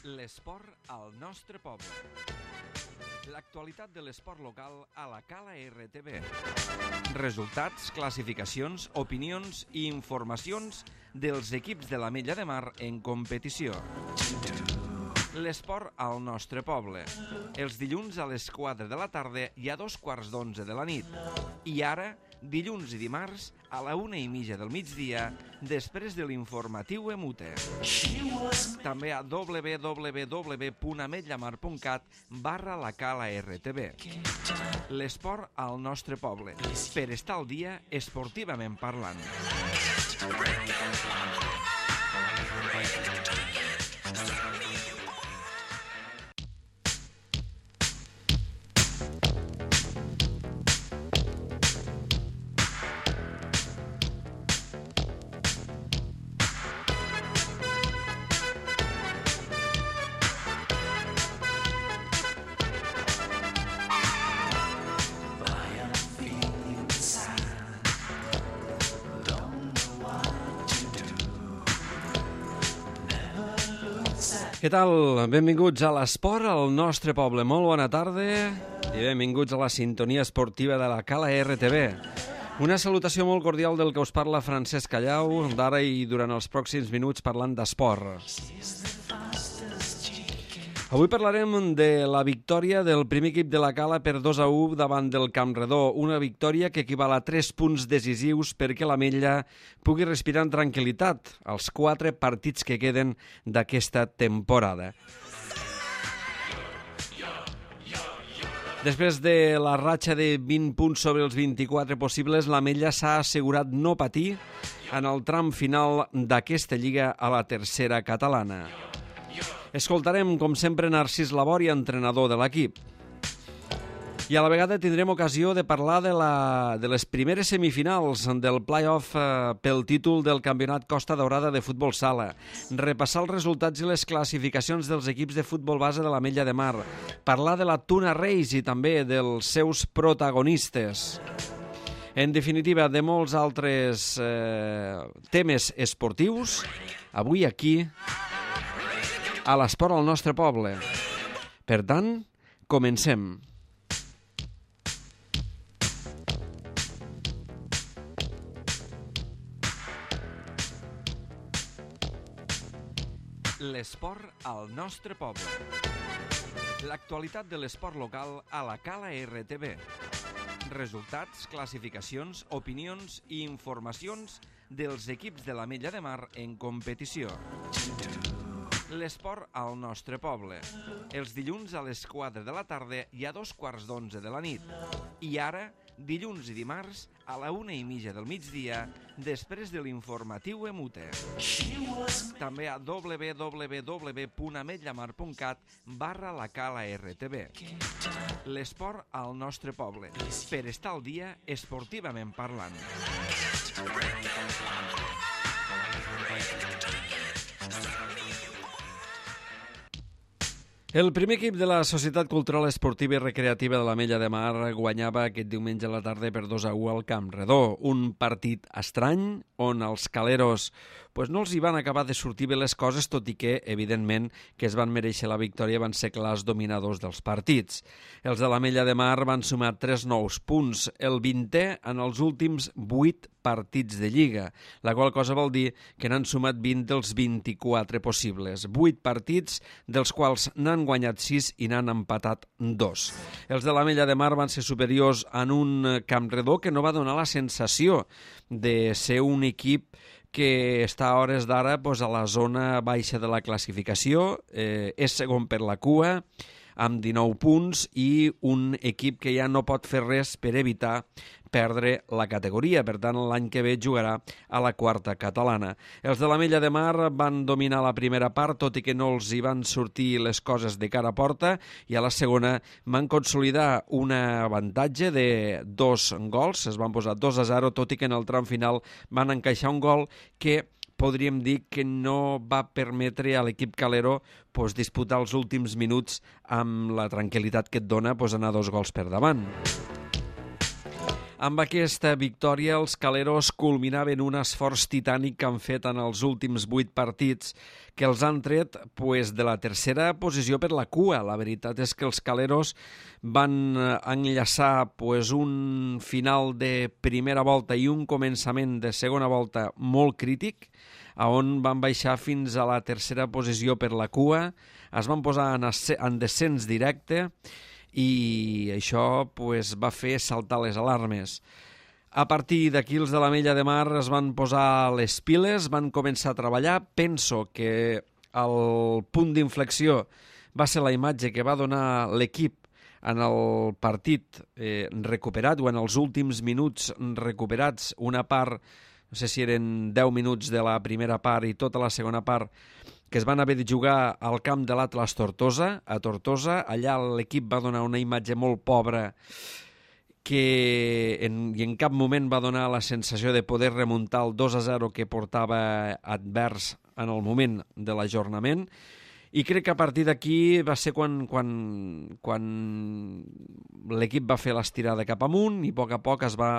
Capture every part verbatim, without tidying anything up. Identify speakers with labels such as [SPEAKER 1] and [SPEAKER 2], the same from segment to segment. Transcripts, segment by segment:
[SPEAKER 1] L'esport al nostre poble. L'actualitat de l'esport local a la Cala R T V. Resultats, classificacions, opinions i informacions dels equips de l'Ametlla de Mar en competició. L'esport al nostre poble. Els dilluns a les quatre de la tarda i a dos quarts d'onze de la nit. I ara, dilluns i dimarts, a la una i mitja del migdia, després de l'informatiu Emute. També a w w w punt ametlamar punt cat barra la Cala R T V. L'esport al nostre poble. Per estar al dia esportivament parlant. Què tal? Benvinguts a l'esport al nostre poble. Molt bona tarda i benvinguts a la sintonia esportiva de la Cala R T V. Una salutació molt cordial del que us parla Francesc Callau, d'ara i durant els pròxims minuts parlant d'esport. Avui parlarem de la victòria del primer equip de la Cala per dos a u davant del Campredó, una victòria que equival a tres punts decisius perquè l'Ametlla pugui respirar en tranquil·litat als quatre partits que queden d'aquesta temporada. Després de la ratxa de vint punts sobre els vint-i-quatre possibles, l'Ametlla s'ha assegurat no patir en el tram final d'aquesta lliga a la tercera catalana. Escoltarem, com sempre, Narcís Labori, entrenador de l'equip. I a la vegada tindrem ocasió de parlar de, la, de les primeres semifinals del play-off eh, pel títol del Campionat Costa Daurada de Futbol Sala, repassar els resultats i les classificacions dels equips de futbol base de l'Ametlla de Mar, parlar de la Tuna Race i també dels seus protagonistes. En definitiva, de molts altres eh, temes esportius, avui aquí a l'esport al nostre poble. Per tant, comencem. L'esport al nostre poble. L'actualitat de l'esport local a la Cala R T V. Resultats, classificacions, opinions i informacions dels equips de l'Ametlla de Mar en competició. L'esport al nostre poble. Els dilluns a les quatre de la tarda i a dos quarts d'onze de la nit. I ara, dilluns i dimarts, a la una i mitja del migdia, després de l'informatiu Emute. També a w w w punt ametlamar punt cat barra la Cala R T V. L'esport al nostre poble. Per estar al dia esportivament parlant. El primer equip de la Societat Cultural Esportiva i Recreativa de l'Ametlla de Mar guanyava aquest diumenge a la tarda per dos a u al Campredó. Un partit estrany on els caleros pues, no els hi van acabar de sortir bé les coses, tot i que, evidentment, que es van mereixer la victòria, van ser clars dominadors dels partits. Els de l'Ametlla de Mar van sumar tres nous punts, el vintè en els últims vuit partits de Lliga, la qual cosa vol dir que n'han sumat vint dels vint-i-quatre possibles. vuit partits, dels quals n'han guanyat sis i n'han empatat dos. Els de l'Ametlla de Mar van ser superiors en un Campredó que no va donar la sensació de ser un equip que està a hores d'ara pues, a la zona baixa de la classificació, eh, és segon per la cua, amb dinou punts i un equip que ja no pot fer res per evitar perdre la categoria. Per tant, l'any que ve jugarà a la quarta catalana. Els de l'Ametlla de Mar van dominar la primera part, tot i que no els hi van sortir les coses de cara a porta, i a la segona van consolidar un avantatge de dos gols, es van posar dos a zero, tot i que en el tram final van encaixar un gol que podríem dir que no va permetre a l'equip calero pues, disputar els últims minuts amb la tranquil·litat que et dona pues, anar dos gols per davant. Amb aquesta victòria, els caleros culminaven un esforç titànic que han fet en els últims vuit partits, que els han tret pues, de la tercera posició per la cua. La veritat és que els caleros van enllaçar pues, un final de primera volta i un començament de segona volta molt crític, on van baixar fins a la tercera posició per la cua, es van posar en, en descens directe, i això pues, va fer saltar les alarmes. A partir d'aquí els de l'Ametlla de Mar es van posar les piles, van començar a treballar. Penso que el punt d'inflexió va ser la imatge que va donar l'equip en el partit eh, recuperat, o en els últims minuts recuperats, una part, no sé si eren deu minuts de la primera part i tota la segona part, que es van haver de jugar al camp de l'Atlas Tortosa, a Tortosa. Allà l'equip va donar una imatge molt pobra que en, i en cap moment va donar la sensació de poder remuntar el dos a zero que portava advers en el moment de l'ajornament. I crec que a partir d'aquí va ser quan, quan, quan l'equip va fer l'estirada cap amunt i a poc a poc es va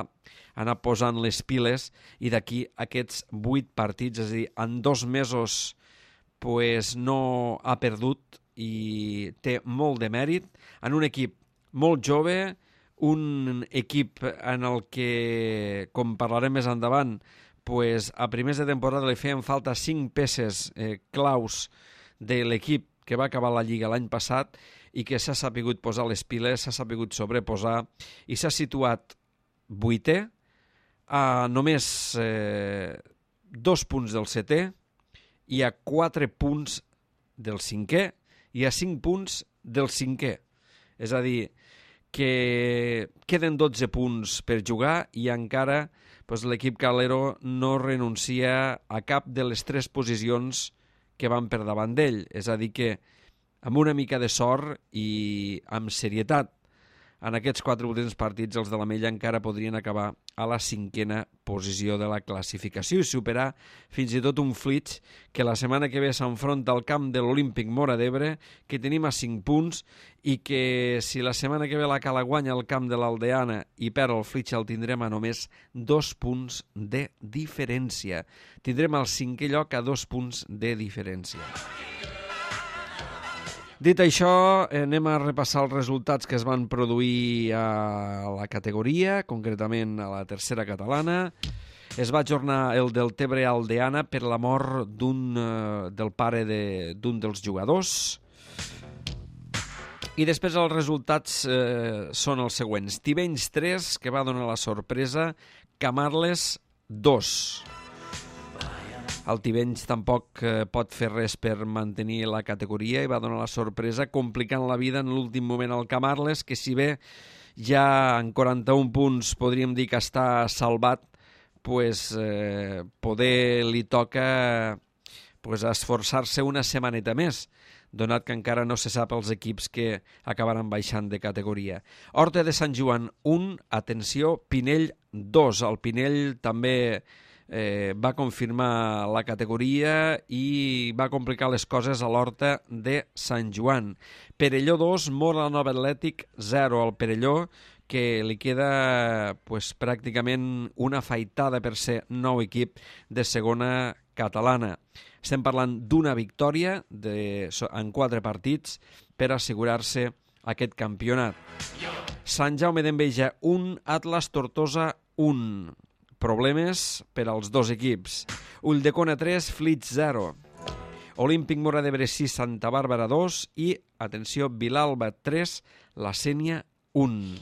[SPEAKER 1] anar posant les piles, i d'aquí aquests vuit partits, és a dir, en dos mesos pues no ha perdut i té molt de mèrit en un equip molt jove, un equip en el que, com parlarem més endavant, pues a primers de temporada li feien falta cinc peces eh, claus de l'equip que va acabar la Lliga l'any passat i que s'ha sapigut posar les piles, s'ha sapigut sobreposar i s'ha situat vuitè a només eh, dos punts del setè, i a quatre punts del cinquè i a cinc punts del cinquè. És a dir, que queden dotze punts per jugar i encara pues, l'equip calero no renuncia a cap de les tres posicions que van per davant d'ell. És a dir, que amb una mica de sort i amb serietat en aquests quatre últims partits els de l'Ametlla encara podrien acabar a la cinquena posició de la classificació i superar fins i tot un Flix que la setmana que ve s'enfronta al camp de l'Olímpic Móra d'Ebre, que tenim a cinc punts, i que si la setmana que ve la Cala guanya al camp de l'Aldeana i perd el Flix el tindrem a només dos punts de diferència. Tindrem el cinquè lloc a dos punts de diferència. Dit això, anem a repassar els resultats que es van produir a la categoria, concretament a la tercera catalana. Es va ajornar el Deltebre Aldeana per la mort d'un, eh, del pare de, d'un dels jugadors. I després els resultats eh, són els següents. Tivenys tres, que va donar la sorpresa, Camarles dos. El Tivenys tampoc eh, pot fer res per mantenir la categoria i va donar la sorpresa complicant la vida en l'últim moment al Camarles, que si bé ja en quaranta-un punts podríem dir que està salvat, pues, eh, poder li toca pues, esforçar-se una setmaneta més, donat que encara no se sap els equips que acabaran baixant de categoria. Horta de Sant Joan un, atenció, Pinell dos. El Pinell també Eh, va confirmar la categoria i va complicar les coses a l'Horta de Sant Joan. Perelló dos, Móra la Nova Atlètic zero. El Perelló, que li queda pues, pràcticament una afaitada per ser nou equip de segona catalana. Estem parlant d'una victòria de, en quatre partits per assegurar-se aquest campionat. Sant Jaume d'Enveja un, Atlas Tortosa un. Problemes per als dos equips. Ulldecona tres, Flix zero. Olímpic Móra d'Ebre sis, Santa Bàrbara dos i, atenció, Vilalba tres, La Sénia un.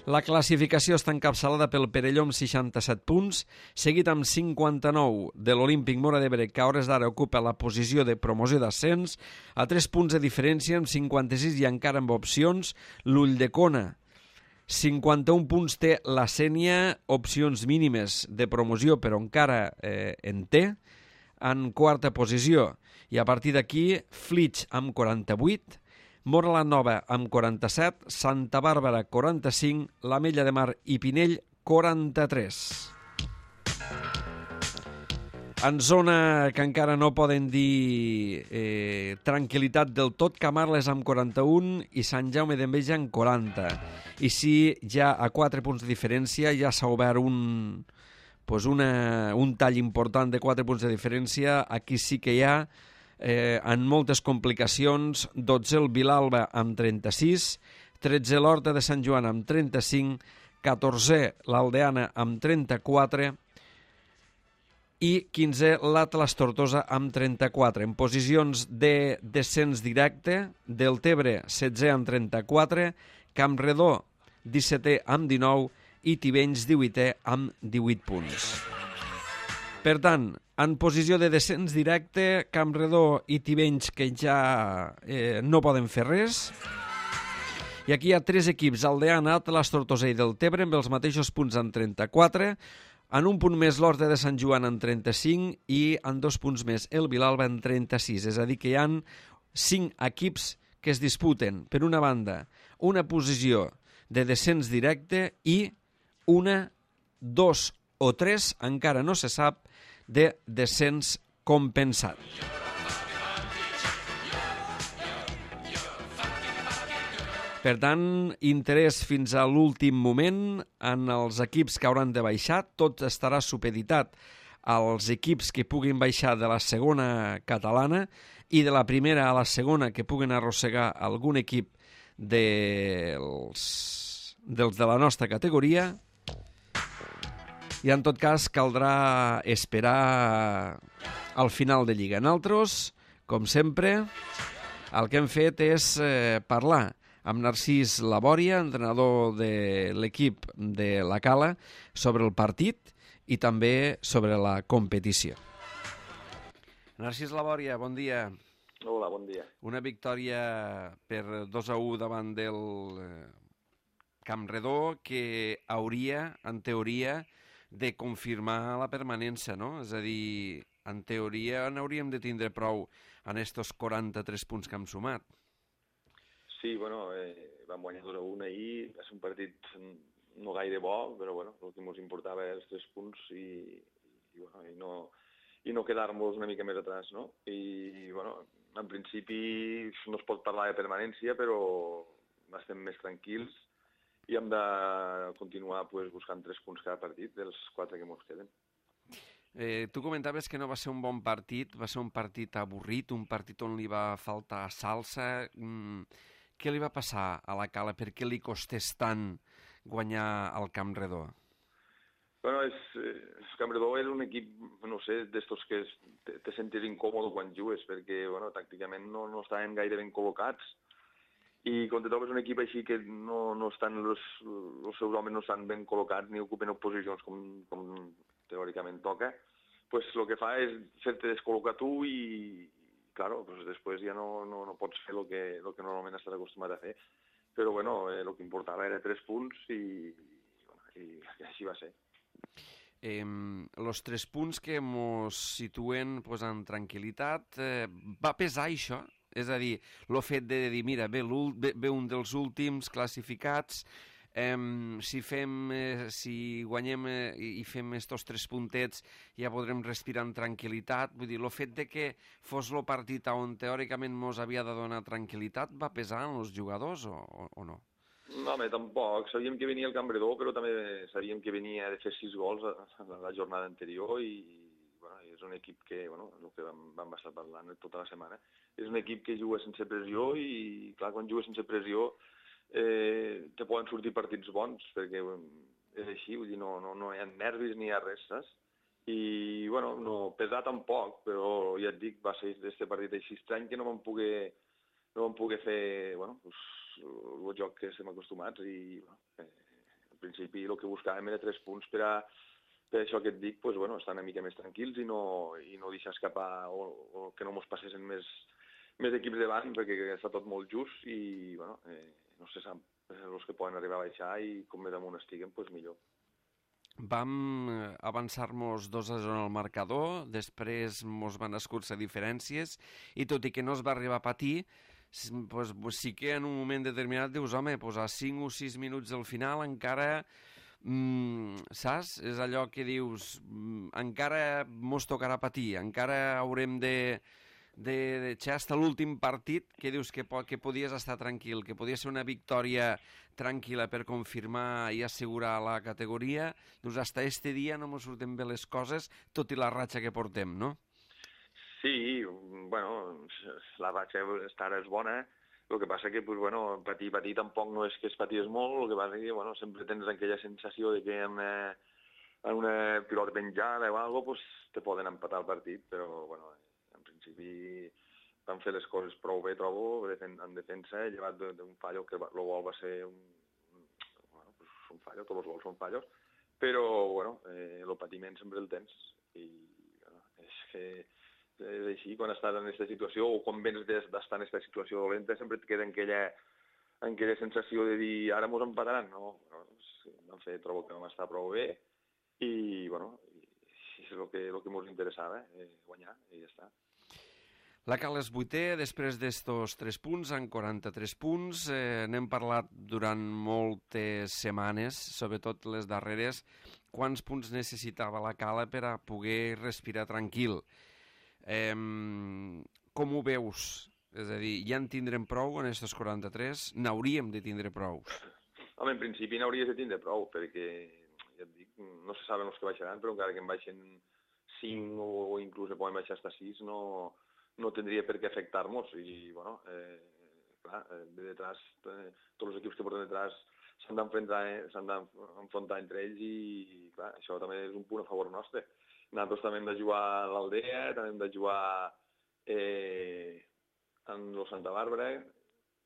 [SPEAKER 1] La classificació està encapçalada pel Perelló amb seixanta-set punts, seguit amb cinquanta-nou de l'Olímpic Móra d'Ebre, que a hores d'ara ocupa la posició de promoció d'ascens, a tres punts de diferència, amb cinquanta-sis i encara amb opcions, l'Ulldecona. cinquanta-un punts té la Sénia, opcions mínimes de promoció, però encara eh, en té, en quarta posició. I a partir d'aquí, Flix amb quaranta-vuit, Móra la Nova amb quaranta-set, Santa Bàrbara quaranta-cinc, l'Ametlla de Mar i Pinell quaranta-tres. En zona que encara no poden dir eh, tranquil·litat del tot, Camarles amb quaranta-un i Sant Jaume d'Enveja amb quaranta. I sí, ja a quatre punts de diferència ja s'ha obert un, pues una, un tall important de quatre punts de diferència. Aquí sí que hi ha, eh, en moltes complicacions, dotze el Vilalba amb trenta-sis, tretze l'Horta de Sant Joan amb trenta-cinc, catorze l'Aldeana amb trenta-quatre, i quinze l'Atlas Tortosa amb trenta-quatre. En posicions de descens directe, Deltebre setze amb trenta-quatre, Campredó dissetè amb dinou i Tivenys divuitè amb divuit punts. Per tant, en posició de descens directe, Campredó i Tivenys que ja eh, no poden fer res. I aquí hi ha tres equips, Aldeana, Atlas Tortosa i Deltebre, amb els mateixos punts amb trenta-quatre, en un punt més l'Horta de Sant Joan en trenta-cinc i en dos punts més el Vilalba en trenta-sis. És a dir, que hi ha cinc equips que es disputen, per una banda, una posició de descens directe i una, dos o tres, encara no se sap, de descens compensat. Per tant, interès fins a l'últim moment en els equips que hauran de baixar. Tot estarà supeditat als equips que puguin baixar de la segona catalana i de la primera a la segona que puguen arrossegar algun equip dels, dels de la nostra categoria. I en tot cas caldrà esperar al final de Lliga. Nosaltres, com sempre, el que hem fet és eh, parlar amb Narcís Labòria, entrenador de l'equip de la Cala, sobre el partit i també sobre la competició. Narcís Labòria, bon dia.
[SPEAKER 2] Hola, bon dia.
[SPEAKER 1] Una victòria per dos a u davant del Campredó que hauria, en teoria, de confirmar la permanència, no? És a dir, en teoria n'hauríem de tindre prou en estos quaranta-tres punts que hem sumat.
[SPEAKER 2] Sí, bueno, eh, vam guanyar dos a un ahir, va ser un partit no gaire bo, però bueno, el que ens importava era els tres punts i, i, bueno, i no, i no quedar-nos una mica més atrás, no? I, bueno, en principi no es pot parlar de permanència, però estem més tranquils i hem de continuar pues, buscant tres punts cada partit dels quatre que ens queden.
[SPEAKER 1] Eh, tu comentaves que no va ser un bon partit, va ser un partit avorrit, un partit on li va faltar salsa. Mm, què li va passar a la Cala? Per què li costés tant guanyar el Campredó?
[SPEAKER 2] Bueno, és, el Campredó és un equip, no sé, d'estos que es, te, te sentis incòmode quan jugues, perquè, bueno, tàcticament no, no estaven gaire ben col·locats i quan te trobes un equip així que no, no estan, els, els seus homes no estan ben col·locats ni ocupen posicions com, com teòricament toca, pues el que fa és fer-te descol·locar tu i, claro, pues després ja no, no, no pots fer el que, el que normalment estàs acostumat a fer. Però, bueno, eh, el que importava era tres punts i, bueno, i, i així va ser.
[SPEAKER 1] Eh, los tres punts que ens situen pues, en tranquil·litat, eh, va pesar això? És a dir, el fet de dir, mira, ve, ve, ve un dels últims classificats, eh, si, fem, eh, si guanyem eh, i fem estos tres puntets ja podrem respirar amb tranquil·litat. Vull dir, el fet de que fos el partit on teòricament mos havia de donar tranquil·litat va pesar en els jugadors o, o, o no?
[SPEAKER 2] No, home, tampoc. Sabíem que venia el Campredó, però també sabíem que venia de fer sis gols a, a la jornada anterior i, bueno, és un equip que, bueno, el que vam, vam estar parlant tota la setmana, és un equip que juga sense pressió i, clar, quan juga sense pressió eh, te poden sortir partits bons, perquè és així, vull dir, no, no, no hi ha nervis ni hi ha res, saps? I, bueno, no pesar tampoc, però ja et dic, va ser aquest partit així estrany que no vam poder, no vam poder fer, bueno, pues, el joc que estem acostumats i, bueno, eh, al principi el que buscàvem era tres punts per a, per això que et dic, pues, bueno, estar una mica més tranquils i no, i no deixar escapar o, o que no ens passessin més, més equips davant perquè està tot molt just i, bueno, eh, no se sap els que poden arribar a baixar i com més amunt estiguen, pues millor.
[SPEAKER 1] Vam avançar-nos dos a zero en el marcador, després mos van escurçar diferències i tot i que no es va arribar a patir, pues, pues sí que en un moment determinat dius, home, pues a cinc o sis minuts del final encara mm, saps? És allò que dius, mm, encara mos tocarà patir, encara haurem de, de, de xer hasta l'últim partit, que dius que, po que podies estar tranquil, que podia ser una victòria tranquil·la per confirmar i assegurar la categoria, doncs hasta este dia no mos surten bé les coses, tot i la ratxa que portem, no?
[SPEAKER 2] Sí, bueno, la ratxa estar és bona, el que passa que, pues, bueno, patir, patir tampoc no és que es paties molt, el que passa que, bueno, sempre tens aquella sensació de que en una, en una pilota penjada o alguna cosa, pues, te poden empatar el partit, però, bueno, en principi van fer les coses prou bé, trobo, en defensa, llevat d'un fallo, que el gol va ser un, bueno, pues, un fallo, tots els gols són fallos, però, bueno, eh, el patiment sempre el tens, i, bueno, és que és així, quan estàs en aquesta situació o quan vens d'estar en aquesta situació dolenta sempre et queda en aquella, en aquella sensació de dir ara mos empataran, no? Vam fer, trobo que vam estar prou bé i, bueno, és el que, el que mos interessava, eh, guanyar, i ja està.
[SPEAKER 1] La Cal és vuitè, després d'estos tres punts, en quaranta-tres punts. Eh, n'hem parlat durant moltes setmanes, sobretot les darreres, quants punts necessitava la Cala per a poder respirar tranquil. Eh, com ho veus? És a dir, ja en tindrem prou en aquests quaranta-tres? N'hauríem de tindre prou?
[SPEAKER 2] Home, en principi n'hauries de tindre prou, perquè, ja et dic, no se saben els que baixaran, però encara que en baixen cinc o inclús poden baixar fins a sis, no, no tindria per què afectar-nos. I, bueno, eh, clar, de detrás, eh, tots els equips que porten detrás s'han d'enfrontar eh, s'han d'enfrontar entre ells i, clar, això també és un punt a favor nostre. Nosaltres també hem de jugar a l'Aldea, també hem de jugar eh, en el Santa Bàrbara,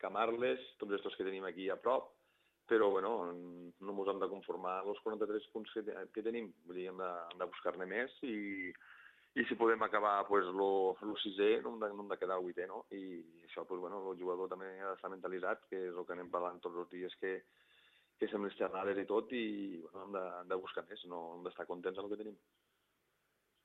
[SPEAKER 2] Camarles, tots aquests que tenim aquí a prop, però bueno, no ens hem de conformar amb els quaranta-tres punts que, que tenim, vull dir, hem de, hem de buscar-ne més i, i si podem acabar pues, el sisè, no hem, de, no hem de quedar el vuitè, no? I això, pues, bueno, el jugador també ha d'estar mentalitzat, que és el que anem parlant tots els dies, que, que som les xerrades i tot, i bueno, hem, de, hem de buscar més, no hem d'estar contents amb el que tenim.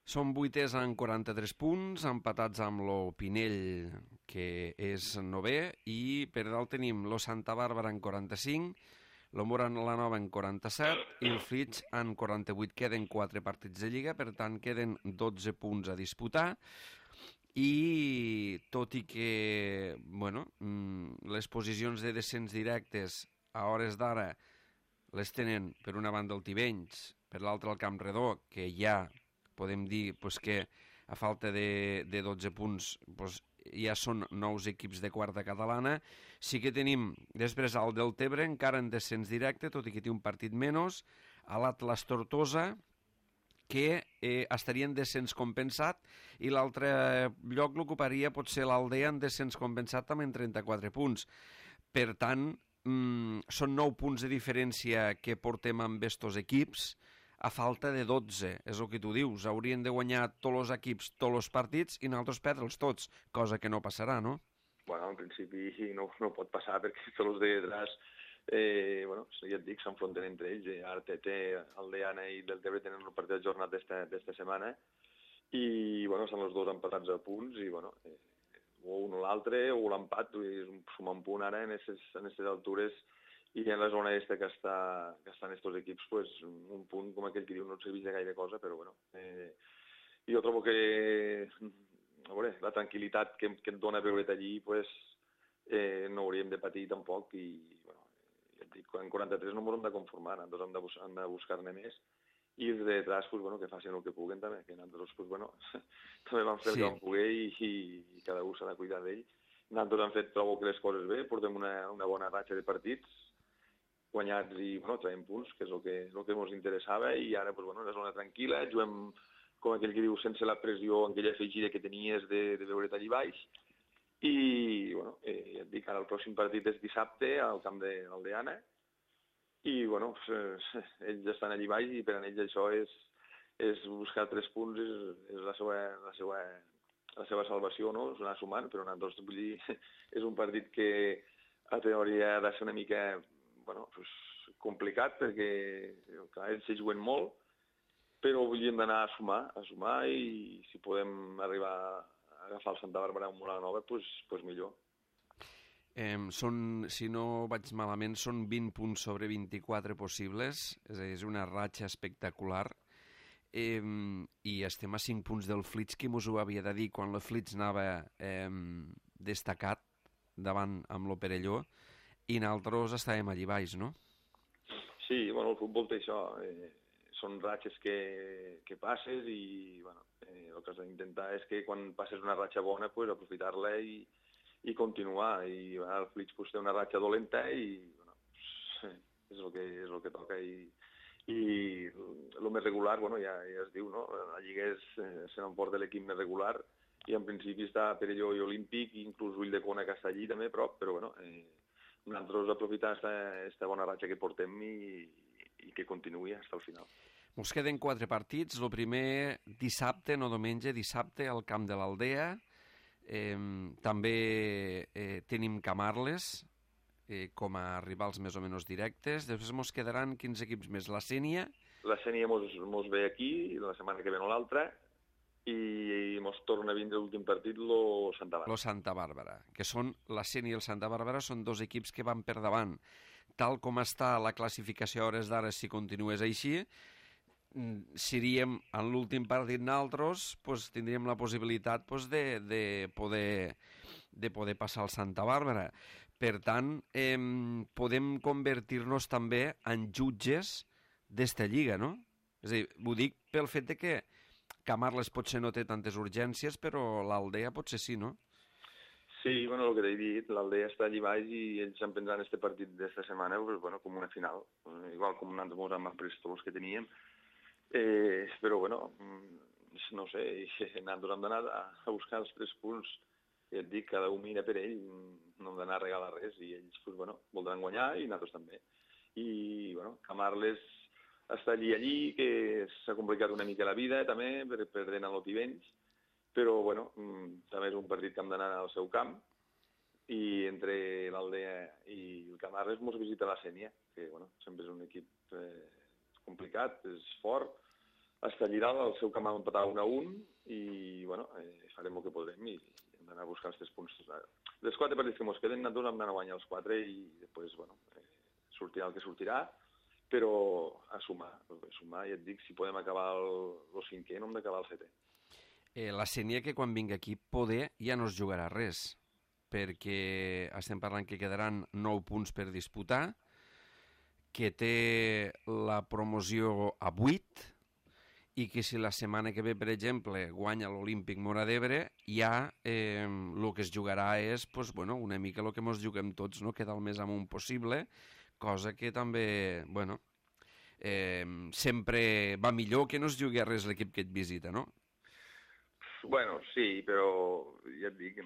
[SPEAKER 1] Som vuitès amb quaranta-tres punts, empatats amb lo Pinell, que és novè, i per dalt tenim lo Santa Bàrbara en quaranta-cinc, lo Mora la Nova en quaranta-set i el Flix en quaranta-vuit. Queden quatre partits de Lliga, per tant queden dotze punts a disputar, i tot i que bueno, les posicions de descens directes a hores d'ara les tenen per una banda el Tivenys, per l'altra el Camp Redó, que ja podem dir pues, que a falta de, de dotze punts pues, ja són nous equips de quarta catalana. Sí que tenim després al Deltebre encara en descens directe, tot i que té un partit menys, a l'Atlas Tortosa, que eh, estaria en descens compensat, i l'altre lloc l'ocuparia potser l'Aldea en descens compensat també en trenta-quatre punts. Per tant, mm, són nou punts de diferència que portem amb estos equips, a falta de dotze, és el que tu dius. Haurien de guanyar tots els equips, tots els partits, i nosaltres perdre'ls tots, cosa que no passarà, no?
[SPEAKER 2] Bueno, en principi no, no pot passar, perquè tots els de detrás, eh, bueno, ja et dic, s'enfronten entre ells. Ara T T, Aldeana i Deltebre tenen un partit ajornat d'esta setmana, i, bueno, estan els dos empatats a punts, i, bueno, eh, o un o l'altre, o l'empat, sumar un punt ara en aquestes altures, i en la zona aquesta que està, que estan estos equips, pues, un punt com aquell que diu no et serveix de gaire cosa, però bueno. Eh, jo trobo que a veure, la tranquil·litat que, que et dona veure allí, pues, eh, no hauríem de patir tampoc, i bueno, ja et dic, en quaranta-tres no ens hem de conformar, nosaltres hem de, bus hem de buscar-ne més, i els de detrás, pues, bueno, que facin el que puguen també, que nosaltres, pues, bueno, també vam fer sí. el que vam poder i, i, i cada un s'ha de cuidar d'ell. Nosaltres hem fet, trobo que les coses bé, portem una, una bona ratxa de partits, guanyats i, bueno, traiem punts, que és el que, el que ens interessava, i ara, pues, bueno, una zona tranquil·la, juguem, com aquell que diu, sense la pressió, aquella afegida que tenies de, de veure't allí baix, i, bueno, eh, ja et dic, ara el pròxim partit és dissabte al camp de l'Aldeana, i, bueno, pues, ells estan allí baix, i per a ells això és, és buscar tres punts, és, és la seva, la seva, la seva salvació, no? És anar sumant, però nosaltres, vull dir, és un partit que a teoria ha de ser una mica, bueno, pues, complicat, perquè clar, ells s'hi juguen molt, però volíem d'anar a sumar, a sumar, i si podem arribar a agafar el Santa Bàrbara amb una nova, pues, pues millor.
[SPEAKER 1] Eh, són, si no vaig malament, són vint punts sobre vint-i-quatre possibles, és, a dir, és una ratxa espectacular. Eh, I estem a cinc punts del Flits, qui mos ho havia de dir quan el Flits anava eh, destacat davant amb lo Perelló, i nosaltres estàvem allí baix, no?
[SPEAKER 2] Sí, bueno, el futbol té això, eh, són ratxes que, que passes i bueno, eh, el que has d'intentar és que quan passes una ratxa bona pues, aprofitar-la i, i continuar, i bueno, el Flix pues, té una ratxa dolenta i bueno, pues, és el que, és el que toca i, i el més regular, bueno, ja, ja es diu, no? La Lliga és, eh, se n'emporta l'equip més regular i en principi està Perelló i Olímpic, inclús Ulldecona que està allí també a prop, però bueno, eh, nosaltres aprofitar aquesta bona ratxa que portem i, i que continuï fins al final.
[SPEAKER 1] Ens queden quatre partits. El primer dissabte, no diumenge, dissabte al camp de l'Aldea. Eh, també eh, tenim Camarles eh, com a rivals més o menys directes. Després ens quedaran quins equips més? La Sénia?
[SPEAKER 2] La Sénia mos, mos ve aquí, la setmana que ve no l'altra, i mos torna a vindre l'últim partit lo Santa Bàrbara.
[SPEAKER 1] Lo Santa Bàrbara, que són la Sénia i el Santa Bàrbara, són dos equips que van per davant. Tal com està la classificació a hores d'ara, si continués així, seríem en l'últim partit nosaltres, pues, tindríem la possibilitat pues, de, de, poder, de poder passar al Santa Bàrbara. Per tant, eh, podem convertir-nos també en jutges d'esta lliga, no? És a dir, ho dic pel fet de que Camarles potser no té tantes urgències, però l'Aldea potser sí, no?
[SPEAKER 2] Sí, bueno, el que t'he dit, l'Aldea està allí baix i ells en prendran este partit d'esta setmana pues, bueno, com una final, igual com nosaltres amb els prestols que teníem. Eh, però, bueno, no sé, nosaltres hem d'anar a buscar els tres punts. Ja et dic, cada un mira per ell, no hem d'anar a regalar res i ells, pues, bueno, voldran guanyar i nosaltres també. I, bueno, Camarles està allí, allí, que s'ha complicat una mica la vida, també, perdent a l'Otivenys, però, bueno, també és un partit que hem d'anar al seu camp, i entre l'Aldea i el Camarles mos visita la Sénia, que, bueno, sempre és un equip eh, complicat, és fort, està allí dalt, al seu camp hem empatat un a un, i, bueno, eh, farem el que podrem i hem d'anar a buscar els tres punts. Les quatre partits que mos queden, nosaltres hem d'anar a guanyar els quatre i després, bueno, eh, sortirà el que sortirà, però a sumar, a sumar, ja et dic, si podem acabar el, el cinquè, no hem d'acabar el setè.
[SPEAKER 1] Eh, la Sénia, que quan vingui aquí, poder ja no es jugarà res, perquè estem parlant que quedaran nou punts per disputar, que té la promoció a vuit, i que si la setmana que ve, per exemple, guanya l'Olímpic Móra d'Ebre, ja eh, el que es jugarà és pues, bueno, una mica el que ens juguem tots, no? Quedar el més amunt possible, cosa que també, bueno, eh, sempre va millor que no es jugui a res l'equip que et visita, no?
[SPEAKER 2] Bueno, sí, però ja et dic,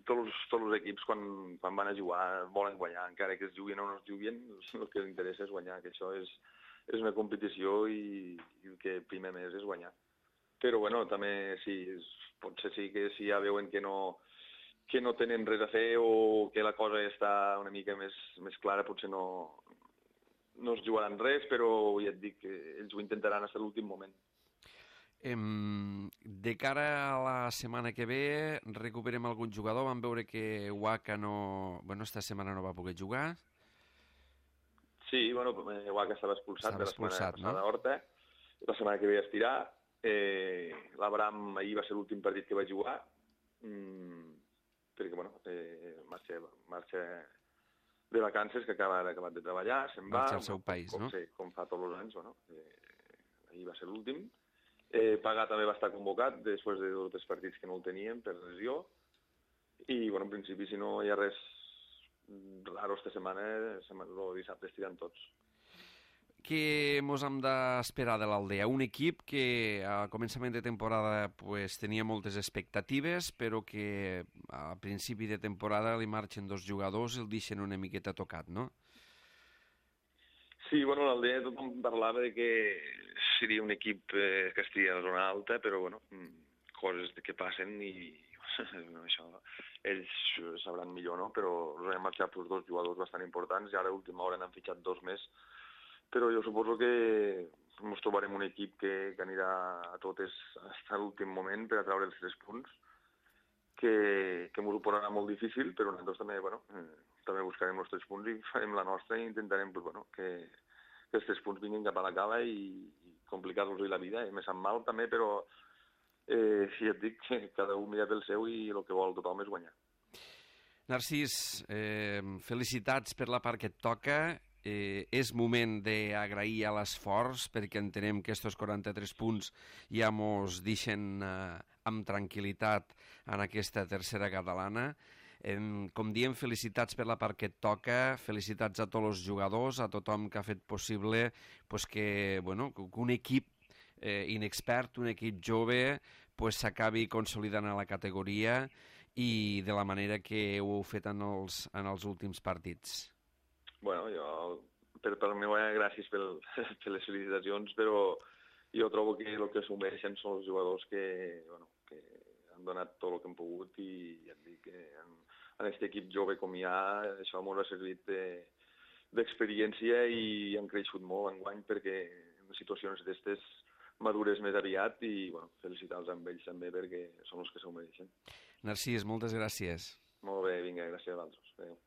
[SPEAKER 2] tots, tots els equips quan, quan van a jugar volen guanyar, encara que es juguin o no es juguin, el que els interessa és guanyar, que això és, és una competició i, i el que primer més és guanyar. Però bueno, també sí, és, potser sí que si ja veuen que no, que no tenen res a fer o que la cosa està una mica més, més clara, potser no, no es jugaran res, però ja et dic que ells ho intentaran fins a l'últim moment.
[SPEAKER 1] De cara a la setmana que ve, recuperem algun jugador. Vam veure que Waka no... Bueno, esta setmana no va poder jugar.
[SPEAKER 2] Sí, bueno, Waka estava expulsat
[SPEAKER 1] estava
[SPEAKER 2] de la setmana
[SPEAKER 1] expulsat,
[SPEAKER 2] passada
[SPEAKER 1] no?
[SPEAKER 2] a Horta. La setmana que ve es tirà. Eh, L'Abram ahir va ser l'últim partit que va jugar. Mm, perquè, bueno, eh, marxa, marxa de vacances, que acaba acabat de treballar, se'n va.
[SPEAKER 1] Marxa al seu país,
[SPEAKER 2] com,
[SPEAKER 1] no?
[SPEAKER 2] Sí, com fa tots els anys, bueno. Eh, ahir va ser l'últim. Eh, Pagà també va estar convocat després de dos o tres partits que no el teníem per lesió i, bueno, en principi, si no hi ha res raro esta setmana, el dissabte estiran tots.
[SPEAKER 1] Què mos hem d'esperar de l'Aldea? Un equip que a començament de temporada pues, tenia moltes expectatives, però que a principi de temporada li marxen dos jugadors i el deixen una miqueta tocat, no?
[SPEAKER 2] Sí, bueno, l'Aldea tothom parlava de que seria un equip eh, que estaria a la zona alta, però, bueno, coses que passen i això ells sabran millor, no? Però els han marxat els dos jugadors bastant importants i ara a última hora n'han fitxat dos més. Però jo suposo que ens trobarem un equip que, que anirà a totes fins a l'últim moment per a treure els tres punts, que, que m'ho posarà molt difícil, però nosaltres també, bueno, eh, també buscarem els tres punts i farem la nostra i intentarem pues, bueno, que, que els tres punts vinguin cap a la cala i, i complicar-los la vida. I me sap mal també, però eh, sí, et dic que cada un mira pel seu i el que vol tothom és guanyar.
[SPEAKER 1] Narcís, eh, felicitats per la part que et toca. Eh, és moment d'agrair a l'esforç perquè entenem que aquests quaranta-tres punts ja mos deixen eh, amb tranquil·litat en aquesta tercera catalana. Eh, com diem, felicitats per la part que et toca, felicitats a tots els jugadors, a tothom que ha fet possible pues, que, bueno, que un equip eh, inexpert, un equip jove, s'acabi pues, consolidant a la categoria i de la manera que ho heu fet en els, en els últims partits.
[SPEAKER 2] Bueno, jo, per, per mi, gràcies pel, per les felicitacions, però jo trobo que el que assumeixen són els jugadors que, bueno, que han donat tot el que han pogut i ja et dic que en, en aquest equip jove com hi ha, això m'ho ha servit d'experiència de, i han creixut molt enguany perquè en situacions d'estes madures més aviat i bueno, felicitar-los amb ells també perquè són els que s'ho mereixen.
[SPEAKER 1] Narcís, moltes gràcies.
[SPEAKER 2] Molt bé, vinga, gràcies a vosaltres. Adéu.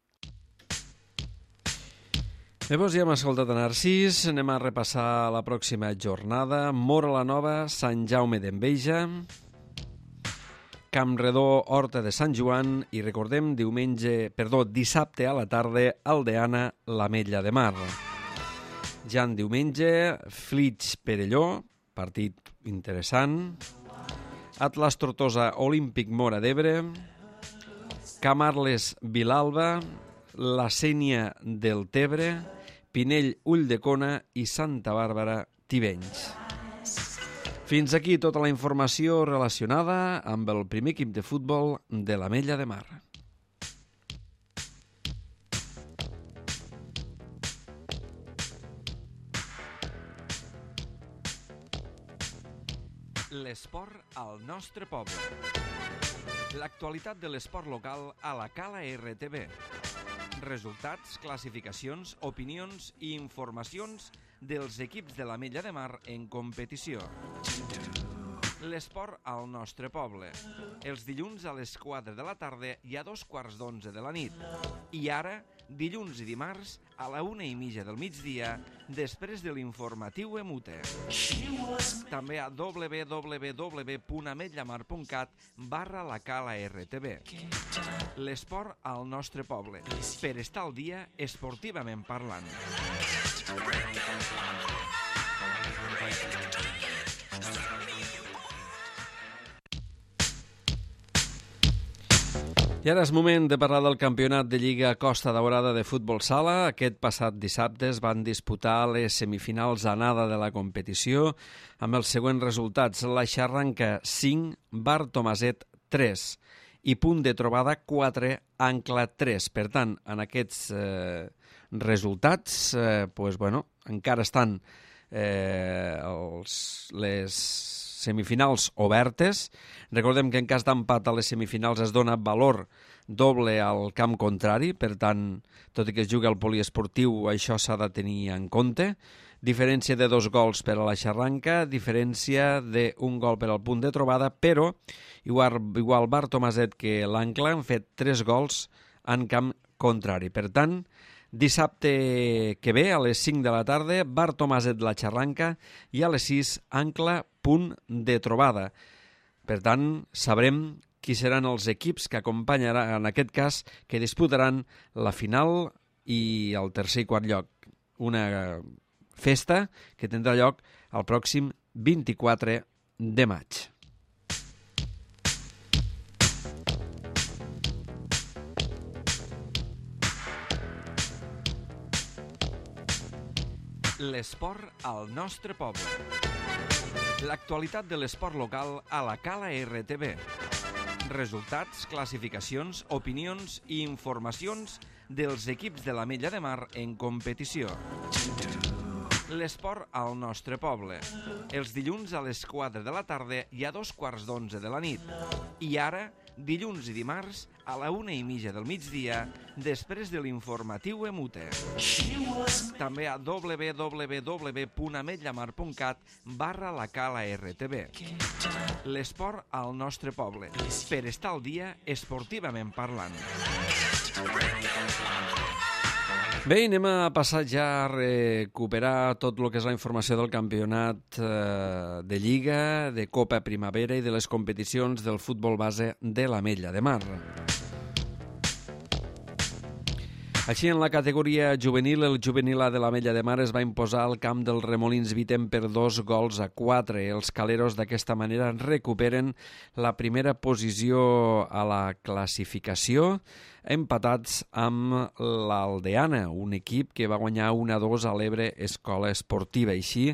[SPEAKER 1] Llavors ja hem escoltat a Narcís, anem a repassar la pròxima jornada. Móra la Nova, Sant Jaume d'Enveja, Campredó, Horta de Sant Joan i recordem diumenge, perdó, dissabte a la tarda, Aldeana, l'Ametlla de Mar. Ja en diumenge, Flix Perelló, partit interessant. Atlas Tortosa, Olímpic Móra d'Ebre, Camarles Vilalba, La Sénia del Tebre, Pinell Ulldecona i Santa Bàrbara Tivenys. Fins aquí tota la informació relacionada amb el primer equip de futbol de l'Ametlla de Mar. L'esport al nostre poble. L'actualitat de l'esport local a la Cala R T V. Resultats, classificacions, opinions i informacions dels equips de l'Ametlla de Mar en competició. L'esport al nostre poble. Els dilluns a les quatre de la tarda i a dos quarts d'onze de la nit. I ara, dilluns i dimarts, a la una i mitja del migdia, després de l'informatiu Emute. També a w w w punt ametllamar punt cat barra la Cala R T V. L'esport al nostre poble, per estar al dia esportivament parlant. I ara és moment de parlar del campionat de Lliga Costa Daurada de futbol sala. Aquest passat dissabte es van disputar les semifinals anada de la competició amb els següents resultats. La Xarranca cinc, Bar Tomaset tres i Punt de Trobada quatre, Ancla tres. Per tant, en aquests eh, resultats eh, pues, bueno, encara estan eh, els, les semifinals obertes. Recordem que en cas d'empat a les semifinals es dona valor doble al camp contrari, per tant, tot i que es jugui al poliesportiu, això s'ha de tenir en compte. Diferència de dos gols per a la Xarranca, diferència d'un gol per al Punt de Trobada, però igual, igual Bar Tomaset que l'Ancla han fet tres gols en camp contrari. Per tant, dissabte que ve, a les cinc de la tarda, Bar Tomaset la Xarranca i a les sis, Ancla, Punt de Trobada. Per tant, sabrem qui seran els equips que acompanyaran, en aquest cas, que disputaran la final i el tercer i quart lloc. Una festa que tindrà lloc el pròxim vint-i-quatre de maig. L'esport al nostre poble. L'actualitat de l'esport local a la Cala R T V. Resultats, classificacions, opinions i informacions dels equips de l'Ametlla de Mar en competició. L'esport al nostre poble. Els dilluns a les quatre de la tarda i a dos quarts d'onze de la nit. I ara, dilluns i dimarts, a la una i mitja del migdia, després de l'informatiu Emute. També a w w w punt ametlla mar punt cat barra la cala R T V. L'esport al nostre poble. Per estar al dia, esportivament parlant. Bé, anem a passar ja a recuperar tot el que és la informació del campionat eh, de Lliga, de Copa Primavera i de les competicions del futbol base de l'Ametlla de Mar. Així, en la categoria juvenil, el juvenil A de l'Ametlla de Mar es va imposar al camp del Remolins Vitem per dos gols a quatre. Els caleros d'aquesta manera recuperen la primera posició a la classificació, empatats amb l'Aldeana, un equip que va guanyar un a dos a l'Ebre Escola Esportiva. Així,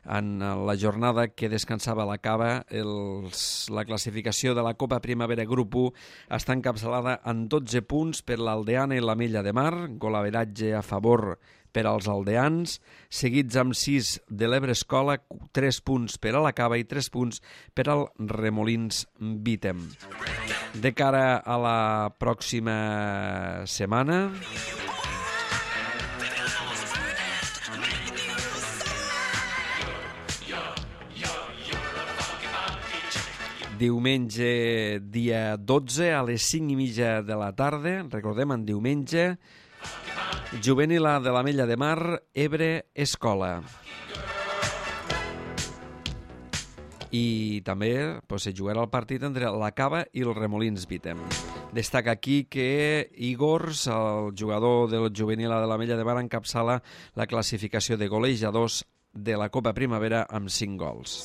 [SPEAKER 1] en la jornada que descansava a la cava, els, la classificació de la Copa Primavera Grup u està encapçalada en dotze punts per l'Aldeana i l'Ametlla de Mar, golaveratge a favor per als aldeans, seguits amb sis de l'Ebre Escola, tres punts per a la cava i tres punts per al Remolins Vitem. De cara a la pròxima setmana, diumenge dia dotze a les cinc i mitja de la tarda, recordem, en diumenge, juvenil A de l'Ametlla de Mar, Ebre Escola. I també pues, se jugarà el partit entre la Cava i el Remolins Vitem. Destaca aquí que Igors, el jugador del juvenil A de l'Ametlla de Mar, encapçala la classificació de golejadors de la Copa Primavera amb cinc gols.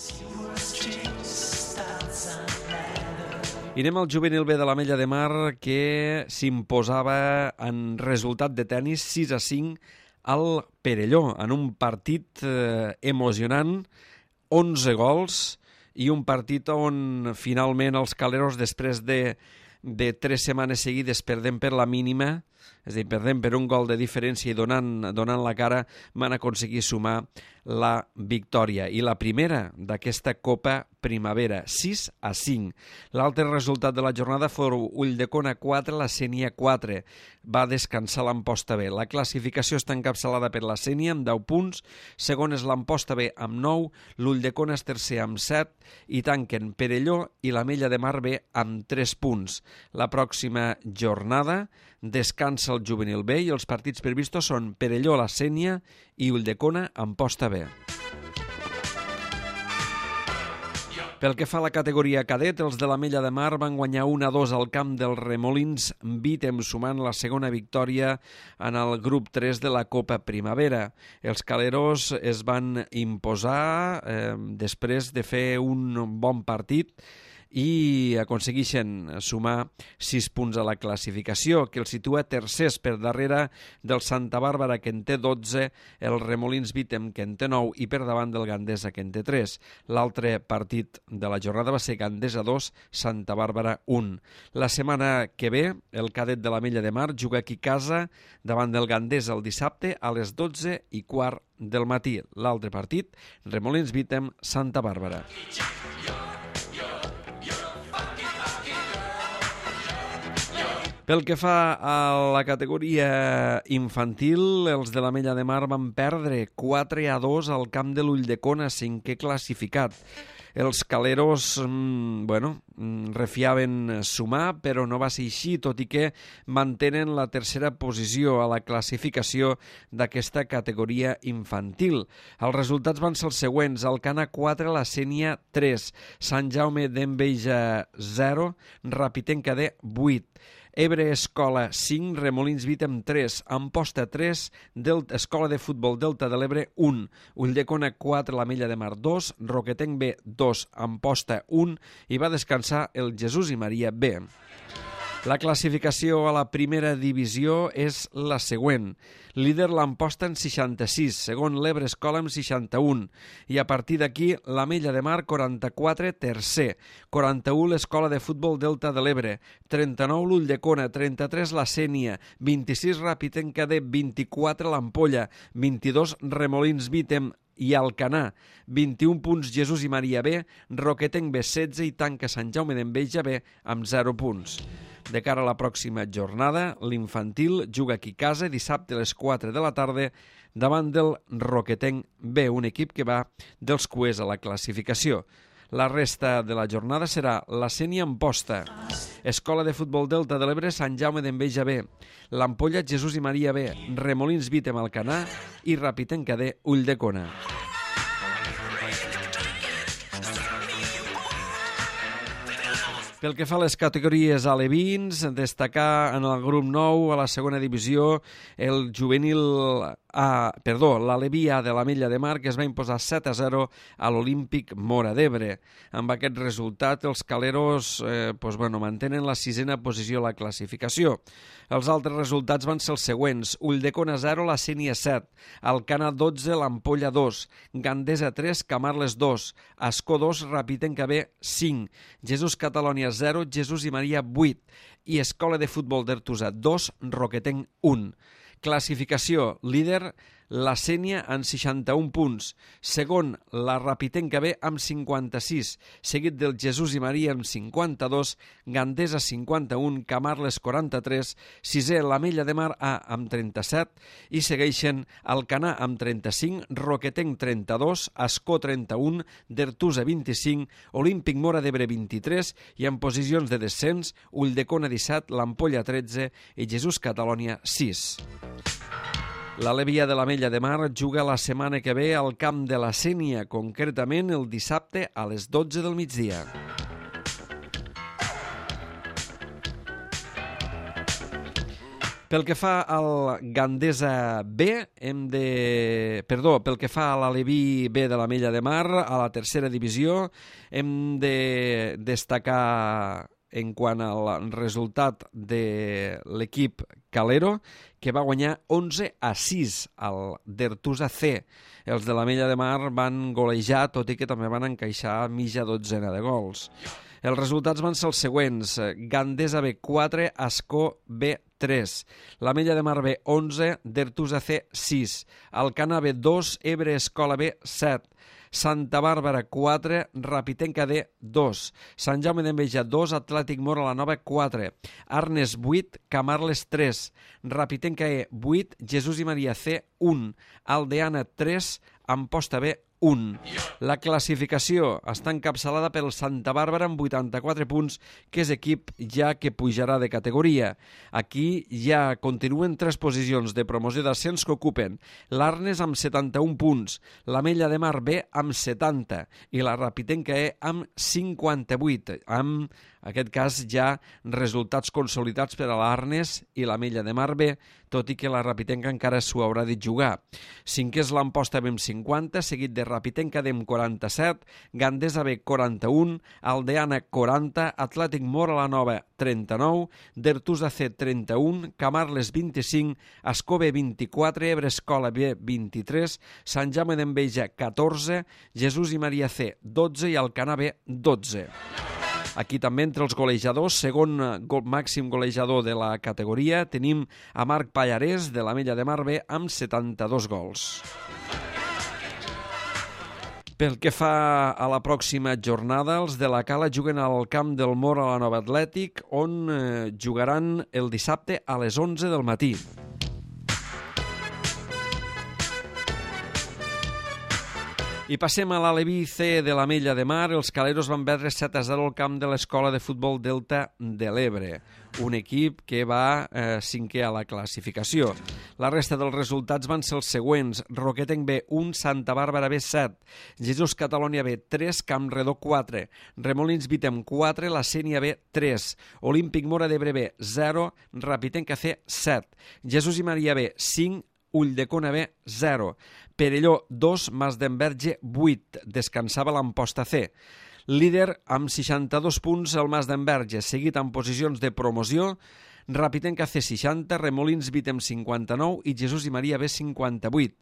[SPEAKER 1] I anem al juvenil B de l'Ametlla de Mar, que s'imposava en resultat de tennis sis a cinc al Perelló, en un partit eh, emocionant, onze gols, i un partit on finalment els caleros, després de, de tres setmanes seguides perdent per la mínima, és a dir, perdent per un gol de diferència i donant, donant la cara, van aconseguir sumar la victòria. I la primera d'aquesta Copa Primavera, sis a cinc. L'altre resultat de la jornada fou Ulldecona quatre, la Sénia quatre. Va descansar l'Amposta B. La classificació està encapçalada per la Sénia amb deu punts, segon és l'Amposta B amb nou, l'Ulldecona és tercer amb set i tanquen Perelló i l'Ametlla de Mar B amb tres punts. La pròxima jornada descansa el juvenil B i els partits previstos són Perelló, la Sénia i Ulldecona, Amposta B. Pel que fa a la categoria cadet, els de l'Ametlla de Mar van guanyar un a dos al camp del Remolins Vitem, sumant la segona victòria en el grup tres de la Copa Primavera. Els caleros es van imposar eh, després de fer un bon partit i aconsegueixen sumar sis punts a la classificació, que el situa tercers per darrere del Santa Bàrbara, que en té dotze, el Remolins Vitem, que en té nou, i per davant del Gandesa, que en té tres. L'altre partit de la jornada va ser Gandesa dos, Santa Bàrbara un. La setmana que ve, el cadet de l'Ametlla de Mar juga aquí a casa davant del Gandesa el dissabte a les dotze i quart del matí. L'altre partit, Remolins Vitem, Santa Bàrbara. Pel que fa a la categoria infantil, els de l'Ametlla de Mar van perdre quatre a dos al camp de l'Ulldecona, cinquè classificat. Els caleros, bueno, refiaven sumar, però no va ser així, tot i que mantenen la tercera posició a la classificació d'aquesta categoria infantil. Els resultats van ser els següents: Alcana quatre, la Sénia tres, Sant Jaume d'Enveja zero, Rapitenca D vuit, Ebre Escola cinc, Remolins Vitem tres, Amposta tres, Delta, Escola de Futbol Delta de l'Ebre un, Ulldecona quatre, l'Ametlla de Mar dos, Roquetenc B dos, Amposta un, i va descansar el Jesús i Maria B. La classificació a la primera divisió és la següent. Líder l'Amposta en seixanta-sis, segon l'Ebre Escola amb seixanta-un, i a partir d'aquí l'Ametlla de Mar quaranta-quatre, tercer, quaranta-u l'Escola de Futbol Delta de l'Ebre, trenta-nou l'Ulldecona, trenta-tres la Sénia, vint-i-sis Ràpid de vint-i-quatre l'Ampolla, vint-i-dos Remolins Vítem i Alcanar, vint-i-un punts Jesús i Maria B, Roquetenc B setze i tanca Sant Jaume d'Enveja B amb zero punts. De cara a la pròxima jornada, l'infantil juga aquí a casa dissabte a les quatre de la tarda davant del Roquetenc B, un equip que va dels cuers a la classificació. La resta de la jornada serà la Sénia Amposta, Escola de Futbol Delta de l'Ebre Sant Jaume d'Enveja B, l'Ampolla Jesús i Maria B, Remolins Vítem Alcanar i Ràpid D Ulldecona. Pel que fa a les categories alevins, destacar en el grup nou a la segona divisió el juvenil A, perdó, l'Aleví A de l'Ametlla de Mar, que es va imposar set a zero a l'Olímpic Móra d'Ebre. Amb aquest resultat, els caleros eh, pues, bueno, mantenen la sisena posició a la classificació. Els altres resultats van ser els següents: Ulldecona zero, la Sénia set, Alcanar dotze, l'Ampolla dos, Gandesa tres, Camarles dos, Ascó dos, Ràpid B cinc, Jesús Catalònia zero, Jesús i Maria vuit i Escola de Futbol d'Ertusa dos, Roquetenc un. Classificació: líder la Sénia amb seixanta-un punts, segon la Ràpid B amb cinquanta-sis, seguit del Jesús i Maria amb cinquanta-dos, Gandesa cinquanta-un, Camarles quaranta-tres, sisè l'Ametlla de Mar A amb trenta-set i segueixen Alcanar amb trenta-cinc, Roquetenc trenta-dos, Ascó trenta-un, d'Ertusa vint-i-cinc, Olímpic Móra d'Ebre vint-i-tres i en posicions de descens Ulldecona disset, l'Ampolla tretze i Jesús Catalònia sis. L'Aleví A de l'Ametlla de Mar juga la setmana que ve al camp de la Sénia, concretament el dissabte a les dotze del migdia. Pel que fa al Gandesa B, hem de... Perdó, pel que fa a l'Aleví B de l'Ametlla de Mar, a la tercera divisió, hem de destacar en quant al resultat de l'equip Calero, que va guanyar onze a sis al d'Ertusa C. Els de l'Ametlla de Mar van golejar, tot i que també van encaixar mitja dotzena de gols. Els resultats van ser els següents: Gandesa B quatre, Ascó B tres, l'Ametlla de Mar B onze, d'Ertusa C sis, Alcanar B dos, Ebre Escola B set, Santa Bàrbara quatre, Ràpid D dos, Sant Jaume d'Enveja dos, Atlètic Móra la Nova quatre, Arnes vuit, Camarles tres, Ràpid E vuit, Jesús i Maria C un, Aldeana tres, Amposta B un. La classificació està encapçalada pel Santa Bàrbara amb vuitanta-quatre punts, que és equip ja que pujarà de categoria. Aquí ja continuen tres posicions de promoció d'ascens que ocupen l'Arnes amb setanta-un punts, l'Ametlla de Mar B amb setanta i la Ràpid E amb cinquanta-vuit, amb, en aquest cas, ja resultats consolidats per a l'Arnes i l'Ametlla de Mar B, tot i que la Ràpid encara s'ho haurà de jugar. Cinquè és l'Amposta B amb cinquanta, seguit de Ràpid D amb quaranta-set, Gandesa B quaranta-un, Aldeana quaranta, Atlètic Móra la Nova trenta-nou, d'Ertusa C trenta-un, Camarles vint-i-cinc, Ascó B vint-i-quatre, Ebre Escola B vint-i-tres, Sant Jaume d'Enveja catorze, Jesús i Maria C dotze i Alcanar B dotze. Aquí també entre els golejadors, segon gol màxim golejador de la categoria, tenim a Marc Pallarès de l'Ametlla de Mar B amb setanta-dos gols. Pel que fa a la pròxima jornada, els de la Cala juguen al camp del Móra la Nova Atlètic, on eh, jugaran el dissabte a les onze del matí. I passem a l'Aleví C de l'Ametlla de Mar. Els caleros van perdre set a zero al camp de l'Escola de Futbol Delta de l'Ebre, un equip que va eh, cinquè a la classificació. La resta dels resultats van ser els següents: Roquetenc B un, Santa Bàrbara B set, Jesús Catalònia B tres, Campredó quatre, Remolins Vítem quatre, la Sénia B tres, Olímpic Móra d'Ebre B zero, Ràpid C set, Jesús i Maria B cinc, Ulldecona B zero, Perelló dos, Mas d'Enverge vuit, descansava l'Amposta C. Líder amb seixanta-dos punts el Mas d'Enverge, seguit en posicions de promoció Rapitenca C seixanta, Remolins Vit amb cinquanta-nou i Jesús i Maria B cinquanta-vuit.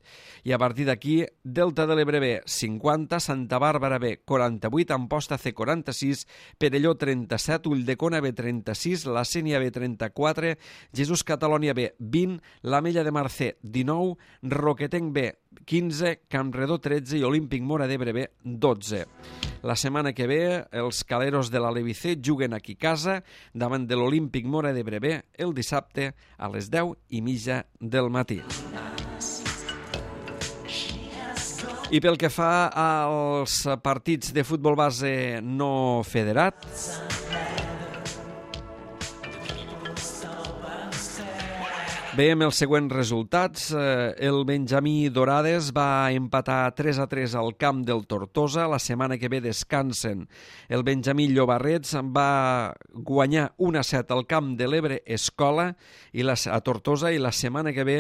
[SPEAKER 1] I a partir d'aquí, Delta de l'Ebre B cinquanta, Santa Bàrbara B quaranta-vuit, Amposta C quaranta-sis, Perelló trenta-set, Ulldecona B trenta-sis, La Sénia B trenta-quatre, Jesús Catalònia B vint, l'Ametlla de Mar C dinou, Roquetenc B quinze, Campredó tretze i Olímpic Móra d'Ebre B dotze. La setmana que ve, els caleros de l'Alevicé juguen aquí a casa davant de l'Olímpic Móra d'Ebre B el dissabte a les deu i mitja del matí. I pel que fa als partits de futbol base no federat, veiem els següents resultats. El Benjamí Dorades va empatar tres a tres al camp del Tortosa. La setmana que ve descansen. El Benjamí Llobarrets va guanyar un a set al camp de l'Ebre Escola i la, a Tortosa, i la setmana que ve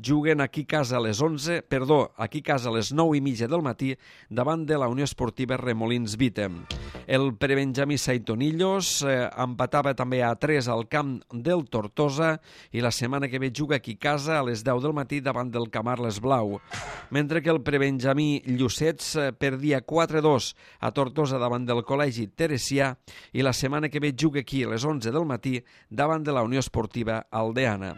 [SPEAKER 1] juguen aquí a casa a les onze, perdó, aquí a casa a les nou i mitja del matí davant de la Unió Esportiva Remolins Vitem. El prebenjamí Saitonillos eh, empatava també a tres al camp del Tortosa i la setmana que ve juga aquí a casa a les deu del matí davant del Camarles Blau. Mentre que el prebenjamí Llucets perdia quatre a dos a Tortosa davant del Col·legi Teresià i la setmana que ve juga aquí a les onze del matí davant de la Unió Esportiva Aldeana.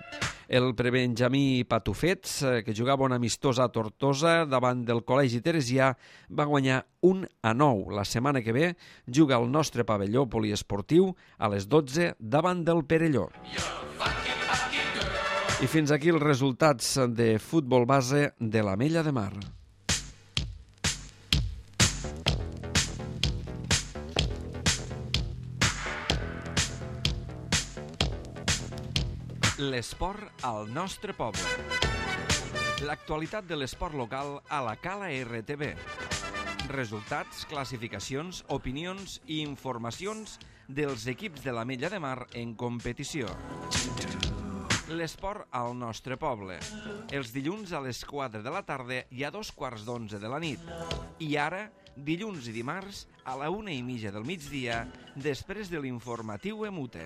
[SPEAKER 1] El prebenjamí Patufets, que jugava un amistós a Tortosa davant del Col·legi Teresià, va guanyar un a nou. La setmana que ve juga al nostre pavelló poliesportiu a les dotze davant del Perelló. I fins aquí els resultats de futbol base de l'Ametlla de Mar. L'esport al nostre poble. L'actualitat de l'esport local a la Cala R T V. Resultats, classificacions, opinions i informacions dels equips de l'Ametlla de Mar en competició. L'esport al nostre poble. Els dilluns a les quatre de la tarda i a dos quarts d'onze de la nit. I ara, dilluns i dimarts, a la una i mitja del migdia, després de l'informatiu Emute.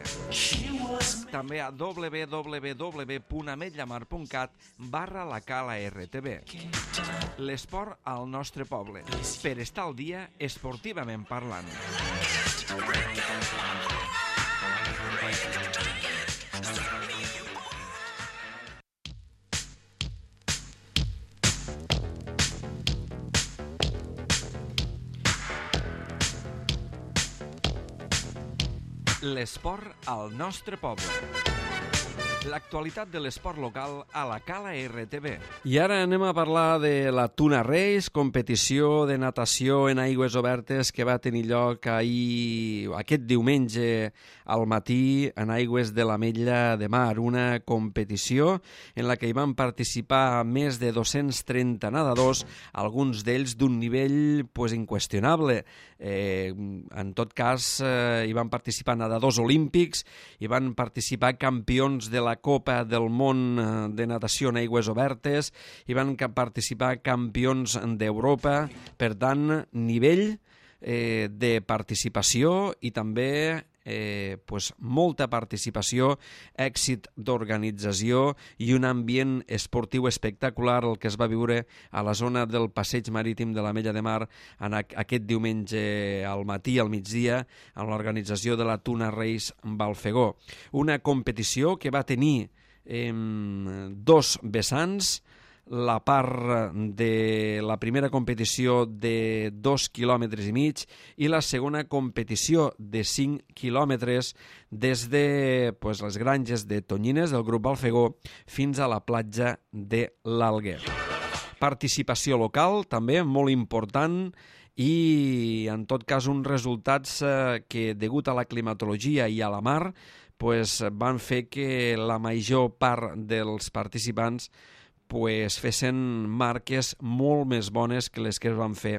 [SPEAKER 1] També a w w w punt ametllamar punt cat barra la Cala R T V. L'esport al nostre poble. Per estar al dia esportivament parlant. L'esport al nostre poble. L'actualitat de l'esport local a la Cala R T V. I ara anem a parlar de la Tuna Race, competició de natació en aigües obertes que va tenir lloc ahir, aquest diumenge al matí en aigües de l'Ametlla de Mar. Una competició en la que hi van participar més de dos-cents trenta nedadors, alguns d'ells d'un nivell pues, inqüestionable. Eh, en tot cas, eh, hi van participar nedadors olímpics, hi van participar campions de la Copa del Món de Natació en Aigües Obertes, hi van participar campions d'Europa, per tant, nivell eh, de participació i també eh, pues, molta participació, èxit d'organització i un ambient esportiu espectacular el que es va viure a la zona del passeig marítim de l'Ametlla de Mar en aquest diumenge al matí, al migdia, amb l'organització de la Tuna Race Balfegó. Una competició que va tenir eh, dos vessants, la part de la primera competició de dos quilòmetres i mig i la segona competició de cinc quilòmetres des de pues, les granges de Tonyines del grup Balfegó fins a la platja de l'Alguer. Participació local també molt important i en tot cas uns resultats eh, que degut a la climatologia i a la mar pues, van fer que la major part dels participants pues, fessin marques molt més bones que les que es van fer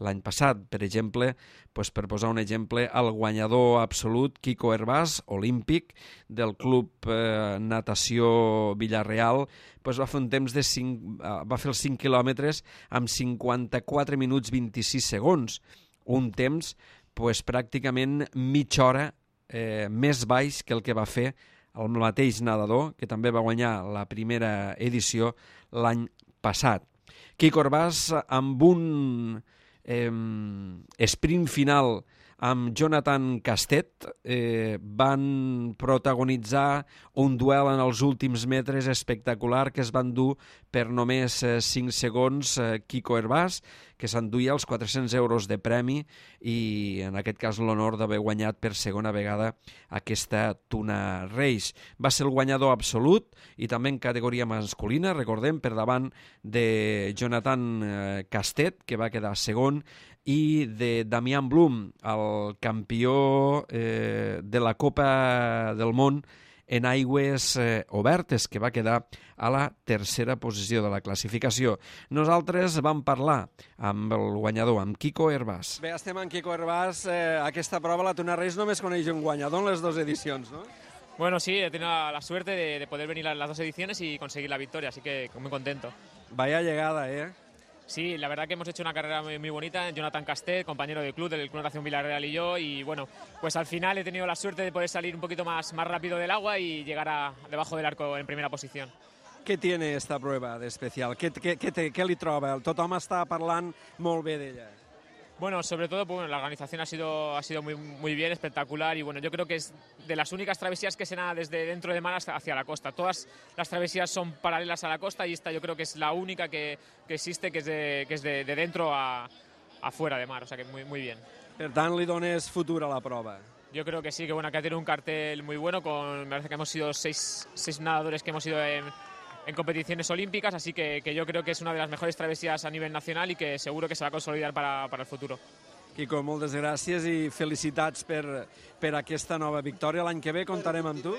[SPEAKER 1] l'any passat. Per exemple, pues, per posar un exemple, el guanyador absolut, Quico Hervás, olímpic, del club eh, Natació Villarreal, pues, va fer un temps de cinc, va fer els cinc quilòmetres amb cinquanta-quatre minuts vint-i-sis segons, un temps pues, pràcticament mitja hora eh, més baix que el que va fer el mateix nedador, que també va guanyar la primera edició l'any passat. Quico Hervás, amb un eh, sprint final amb Jonathan Castet, eh, van protagonitzar un duel en els últims metres espectacular que es van dur per només eh, cinc segons eh, Quico Hervás, que s'enduia els quatre-cents euros de premi i en aquest cas l'honor d'haver guanyat per segona vegada aquesta Tuna Race. Va ser el guanyador absolut i també en categoria masculina, recordem, per davant de Jonathan eh, Castet, que va quedar segon, i de Damián Blum, el campió eh, de la Copa del Món en aigües eh, obertes, que va quedar a la tercera posició de la classificació. Nosaltres vam parlar amb el guanyador, amb Quico Hervás.
[SPEAKER 3] Bé, estem amb Quico Hervás. Eh, aquesta prova, la Tuna Race, només coneix un guanyador en les dues edicions, no?
[SPEAKER 4] Bueno, sí, he tenido la suerte de, de poder venir a las dos ediciones y conseguir la victoria, así que muy contento.
[SPEAKER 3] Vaya llegada, ¿eh?
[SPEAKER 4] Sí, la verdad que hemos hecho una carrera muy, muy bonita. Jonathan Castet, compañero del club, del Club Natación Villarreal y yo, y bueno, pues al final he tenido la suerte de poder salir un poquito más, más rápido del agua y llegar a, debajo del arco en primera posición.
[SPEAKER 3] Què tiene esta prueba de especial? Què, què, què, té, què li troba? Tothom està parlant molt bé d'ella.
[SPEAKER 4] Bueno, sobre todo, pues, bueno, la organización ha sido, ha sido muy, muy bien, espectacular, y bueno, yo creo que es de las únicas travesías que se nada desde dentro de mar hasta hacia la costa. Todas las travesías son paralelas a la costa y esta yo creo que es la única que, que existe, que es, de, que es de, de dentro a, a fuera de mar, o sea que muy, muy bien.
[SPEAKER 3] Per tant, li dones futur a la prova.
[SPEAKER 4] Yo creo que sí, que bueno, que ha tenido un cartel muy bueno, con, me parece que hemos sido seis, seis nadadores que hemos ido en, en competiciones olímpicas, así que, que yo creo que es una de las mejores travesías a nivel nacional y que seguro que se va a consolidar para, para el futuro.
[SPEAKER 3] Quico, moltes gràcies i felicitats per, per aquesta nova victòria. L'any que ve comptarem amb tu?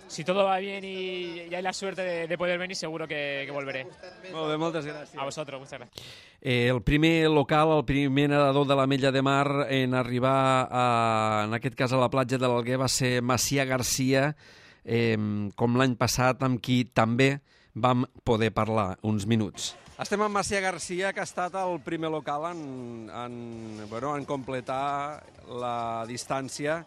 [SPEAKER 4] Si todo va bien y, y hay la suerte de, de poder venir, seguro que, que volveré.
[SPEAKER 3] Molt bé, moltes gràcies.
[SPEAKER 4] A vosotros, muchas gracias.
[SPEAKER 1] Eh, el primer local, el primer nedador de la Mella de Mar en arribar, a, en aquest cas a la platja de l'Alguer, va ser Macià Garcia, eh, com l'any passat, amb qui també vam poder parlar uns minuts.
[SPEAKER 3] Estem amb Macià Garcia, que ha estat el primer local en, en, bueno, en completar la distància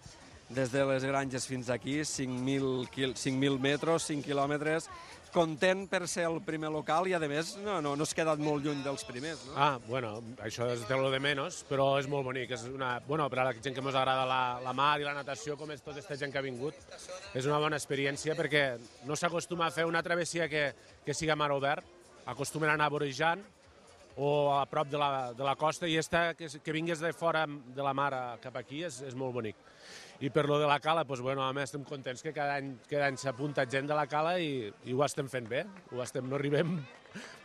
[SPEAKER 3] des de les Granges fins aquí, cinc mil metres, cinc quilòmetres. Content per ser el primer local i, a més, no, no, no has quedat molt lluny dels primers, no?
[SPEAKER 5] Ah, bueno, això és de lo de menys, però és molt bonic. És una, bueno, per a la gent que ens agrada la, la mar i la natació, com és tota aquesta gent que ha vingut, és una bona experiència perquè no s'acostuma a fer una travessia que, que siga mar obert, acostumen a anar vorejant o a prop de la, de la costa, i esta, que, que vingués de fora de la mar cap aquí és, és molt bonic. I per lo de la cala, doncs, bueno, a més estem contents que cada any, cada any s'apunta gent de la cala i, i ho estem fent bé. Ho estem, no arribem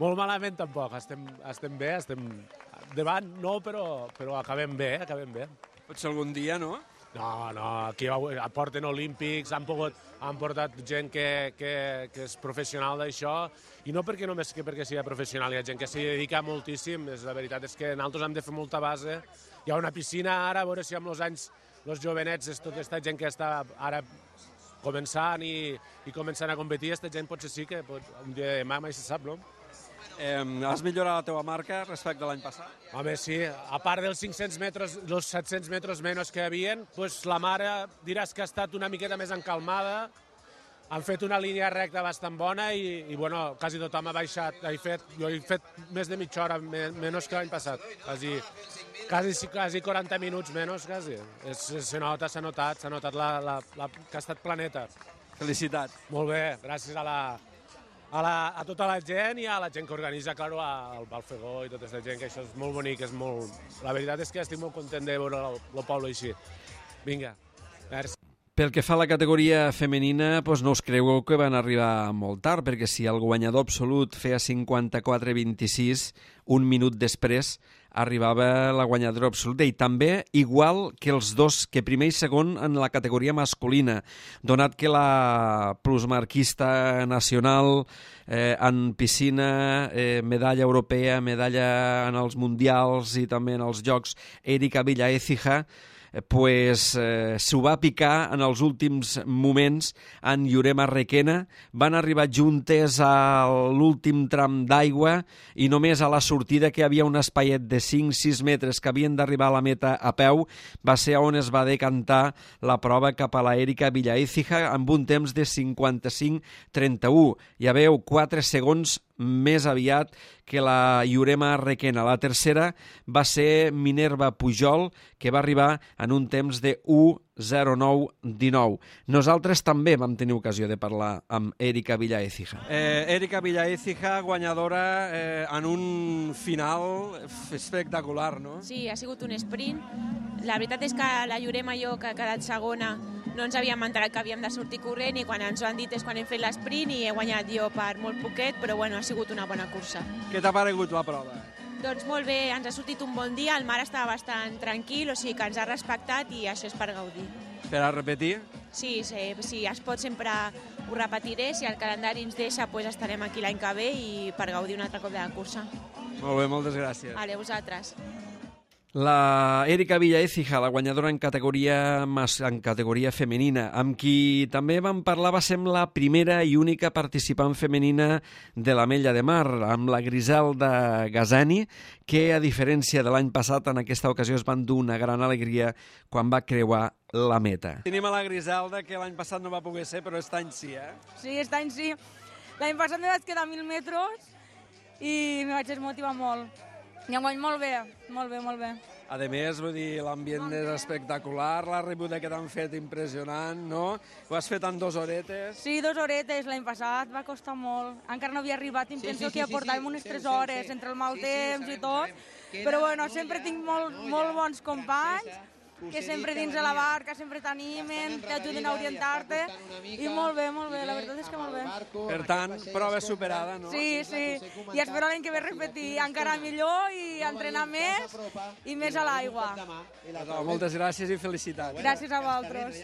[SPEAKER 5] molt malament tampoc, estem, estem bé, estem davant, no, però, però acabem bé, acabem bé.
[SPEAKER 3] Potser algun dia, no?
[SPEAKER 5] No, no, aquí aporten olímpics, han, pogut, han portat gent que, que, que és professional d'això, i no perquè només que perquè sigui professional, hi ha gent que s'hi dedica moltíssim. La veritat és que nosaltres hem de fer molta base. Hi ha una piscina ara, a veure si amb els anys, els jovenets, és tota aquesta gent que està ara començant i, i començant a competir, aquesta gent potser sí que pot, un dia de demà mai se sap, no?
[SPEAKER 3] Eh, has millorat la teva marca respecte a l'any passat?
[SPEAKER 5] Home, sí. A part dels cinc-cents metres, dels set-cents metres menys que hi havia, pues la mare diràs que ha estat una miqueta més encalmada. Han fet una línia recta bastant bona i, i bueno, quasi tothom ha baixat. He fet, jo he fet més de mitja hora menys que l'any passat. Quasi, quasi, quasi quaranta minuts menys, quasi. Es, se nota, s'ha notat, s'ha notat la, la, la, que ha estat planeta.
[SPEAKER 3] Felicitats.
[SPEAKER 5] Molt bé, gràcies a la... A, la, a tota la gent i a la gent que organitza, claro, al Balfegó i tota aquesta gent, que això és molt bonic, és molt... La veritat és que estic molt content de veure el, el poble així. Vinga, merci.
[SPEAKER 1] Pel que fa a la categoria femenina, doncs no us cregueu que van arribar molt tard, perquè si el guanyador absolut feia cinquanta-quatre vint-i-sis, un minut després arribava la guanyadora absoluta, i també igual que els dos, que primer i segon en la categoria masculina, donat que la plusmarquista nacional eh, en piscina, eh, medalla europea, medalla en els mundials i també en els jocs, Erika Villaécija, pues, eh, s'ho va picar en els últims moments en Jurema Requena. Van arribar juntes a l'últim tram d'aigua i només a la sortida, que hi havia un espaiet de cinc sis metres que havien d'arribar a la meta a peu, va ser on es va decantar la prova cap a la Erika Villaécija amb un temps de cinquanta-cinc trenta-u. Ja veu, quatre segons més aviat que la Jurema Requena. La tercera va ser Minerva Pujol, que va arribar en un temps de u zero nou dinou. Nosaltres també vam tenir ocasió de parlar amb Erika Villaécija.
[SPEAKER 3] Eh, Erika Villaécija, guanyadora eh, en un final espectacular, no?
[SPEAKER 6] Sí, ha sigut un sprint. La veritat és que la Jurema i jo, que ha quedat segona, no ens havíem enterat que havíem de sortir corrent i quan ens ho han dit és quan hem fet l'esprint i he guanyat jo per molt poquet, però bueno, ha sigut una bona cursa.
[SPEAKER 3] Què t'ha paregut la prova?
[SPEAKER 6] Doncs molt bé, ens ha sortit un bon dia, el mar estava bastant tranquil, o sigui que ens ha respectat i això és per gaudir.
[SPEAKER 3] Per a repetir?
[SPEAKER 6] Sí, sí, sí, es pot sempre ho repetiré, si el calendari ens deixa pues estarem aquí l'any que ve i per gaudir un altre cop de la cursa.
[SPEAKER 3] Molt bé, moltes gràcies.
[SPEAKER 6] Vale, vosaltres.
[SPEAKER 1] La Erika Villaécija, la guanyadora en categoria, en categoria femenina, amb qui també vam parlar, va ser la primera i única participant femenina de l'Ametlla de Mar, amb la Griselda Gazani, que, a diferència de l'any passat, en aquesta ocasió es van dur una gran alegria quan va creuar la meta.
[SPEAKER 3] Tenim a la Griselda, que l'any passat no va poder ser, però aquest any sí, eh?
[SPEAKER 7] Sí, aquest any sí. L'any passat me vaig quedar a mil metres i me vaig desmotivar molt. I enguany molt bé, molt bé, molt bé.
[SPEAKER 3] A més, vull dir, l'ambient és espectacular, la rebuda que t'han fet impressionant, no? Ho has fet en dues horetes.
[SPEAKER 7] Sí, dues horetes, l'any passat va costar molt. Encara no havia arribat, em penso que ja portàvem unes tres hores entre el mal temps i tot. Però bueno, sempre tinc molt, molt bons companys que sempre dins de la barca sempre t'animen, t'ajuden a orientar-te i molt bé, molt bé, la veritat és que molt bé.
[SPEAKER 3] Per tant, prova superada, no?
[SPEAKER 7] Sí, sí, i espero l'any que ve repetir encara millor i entrenar més i més a l'aigua.
[SPEAKER 3] Moltes gràcies i felicitats.
[SPEAKER 7] Gràcies a vosaltres.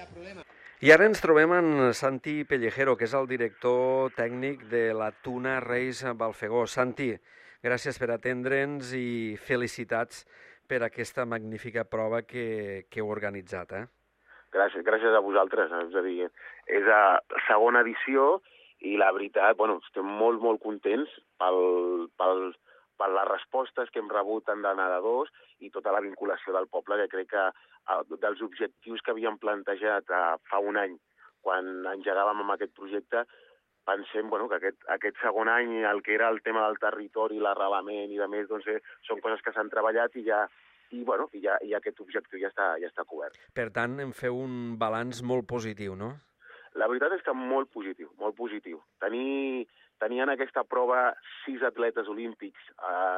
[SPEAKER 1] I ara ens trobem amb Santi Pellejero, que és el director tècnic de la Tuna Race Balfegó. Santi, gràcies per atendre'ns i felicitats per aquesta magnífica prova que, que heu organitzat, eh?
[SPEAKER 8] Gràcies, gràcies a vosaltres. És a dir, és la segona edició i la veritat, bueno, estem molt, molt contents pel, pel, per les respostes que hem rebut tant de nedadors i tota la vinculació del poble, que crec que dels objectius que havíem plantejat fa un any, quan engegàvem amb aquest projecte, pensem bueno, que aquest, aquest segon any el que era el tema del territori, l'arrelament i de més, doncs, eh, són coses que s'han treballat i ja i, bueno, i, ja, i aquest objectiu ja està, ja està cobert.
[SPEAKER 1] Per tant, en feu un balanç molt positiu, no?
[SPEAKER 8] La veritat és que molt positiu, molt positiu. Tenir, tenir en aquesta prova sis atletes olímpics eh,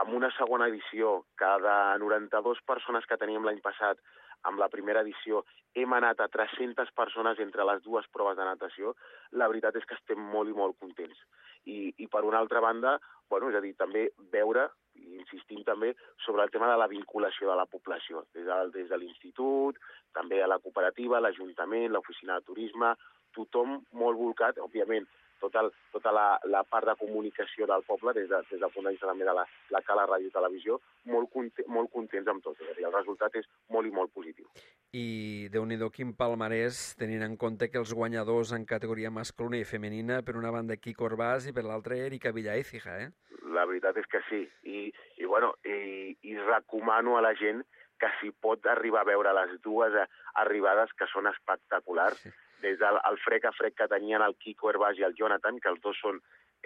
[SPEAKER 8] amb una segona edició, que de noranta-dues persones que teníem l'any passat, amb la primera edició hem anat a tres-centes persones entre les dues proves de natació, la veritat és que estem molt i molt contents. I, i per una altra banda, bueno, és a dir, també veure, i insistim també, sobre el tema de la vinculació de la població, des de, des de l'institut, també a la cooperativa, l'Ajuntament, l'Oficina de Turisme, tothom molt volcat, òbviament, tota, el, tota la, la part de comunicació del poble, des, de, des del punt de vista també de la, la cala ràdio i televisió, molt, conte, molt contents amb tot. I el resultat és molt i molt positiu.
[SPEAKER 1] I Déu-n'hi-do quin palmarès, tenint en compte que els guanyadors en categoria masculina i femenina, per una banda Quico Orbàs i per l'altra Erika Villaécija, eh?
[SPEAKER 8] La veritat és que sí. I, i, bueno, i, i recomano a la gent que si pot arribar a veure les dues arribades, que són espectaculars, sí. Des del el frec a frec que tenien el Quico Herbàs i el Jonathan, que els dos són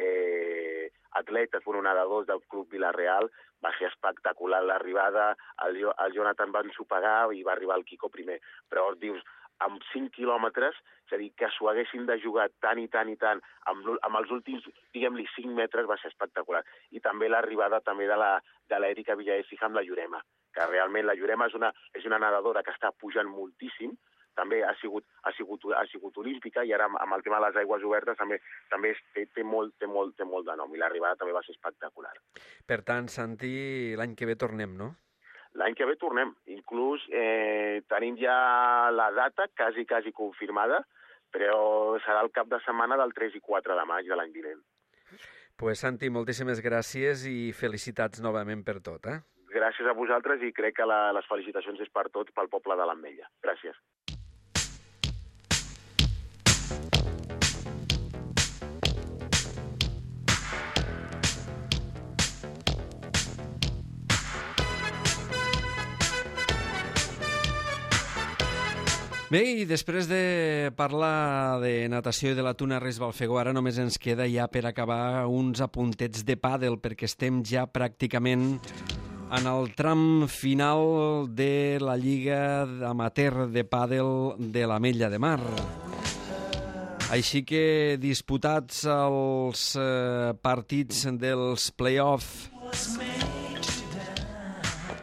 [SPEAKER 8] eh, atletes, bueno, nedadors del Club Vila-real, va ser espectacular l'arribada, el, el Jonathan va ensopegar i va arribar el Quico primer. Però dius, amb cinc quilòmetres, és a dir, que s'ho haguessin de jugar tant i tant i tant, amb, amb els últims, diguem-li, cinc metres va ser espectacular. I també l'arribada també de la de l'Erika Villaécija amb la Jurema, que realment la Jurema és una, és una nedadora que està pujant moltíssim, també ha sigut, ha sigut, ha sigut olímpica i ara amb, amb el tema de les aigües obertes també, també té, té, molt, té, molt, té molt de nom i l'arribada també va ser espectacular.
[SPEAKER 1] Per tant, Santi, l'any que ve tornem, no?
[SPEAKER 8] L'any que ve tornem. Inclús eh, tenim ja la data quasi, quasi confirmada, però serà el cap de setmana del tres i quatre de maig de l'any vinent.
[SPEAKER 1] Pues, Santi, moltíssimes gràcies i felicitats novament per tot, eh?
[SPEAKER 8] gràcies a vosaltres i crec que la, les felicitacions és per tots, pel poble de l'Ametlla. Gràcies.
[SPEAKER 1] Bé, i després de parlar de natació i de la Tuna Reis Balfegó, ara només ens queda ja per acabar uns apuntets de pàdel, perquè estem ja pràcticament en el tram final de la Lliga Amateur de Pàdel de l'Ametlla de Mar. Així que, disputats els eh, partits dels play-off,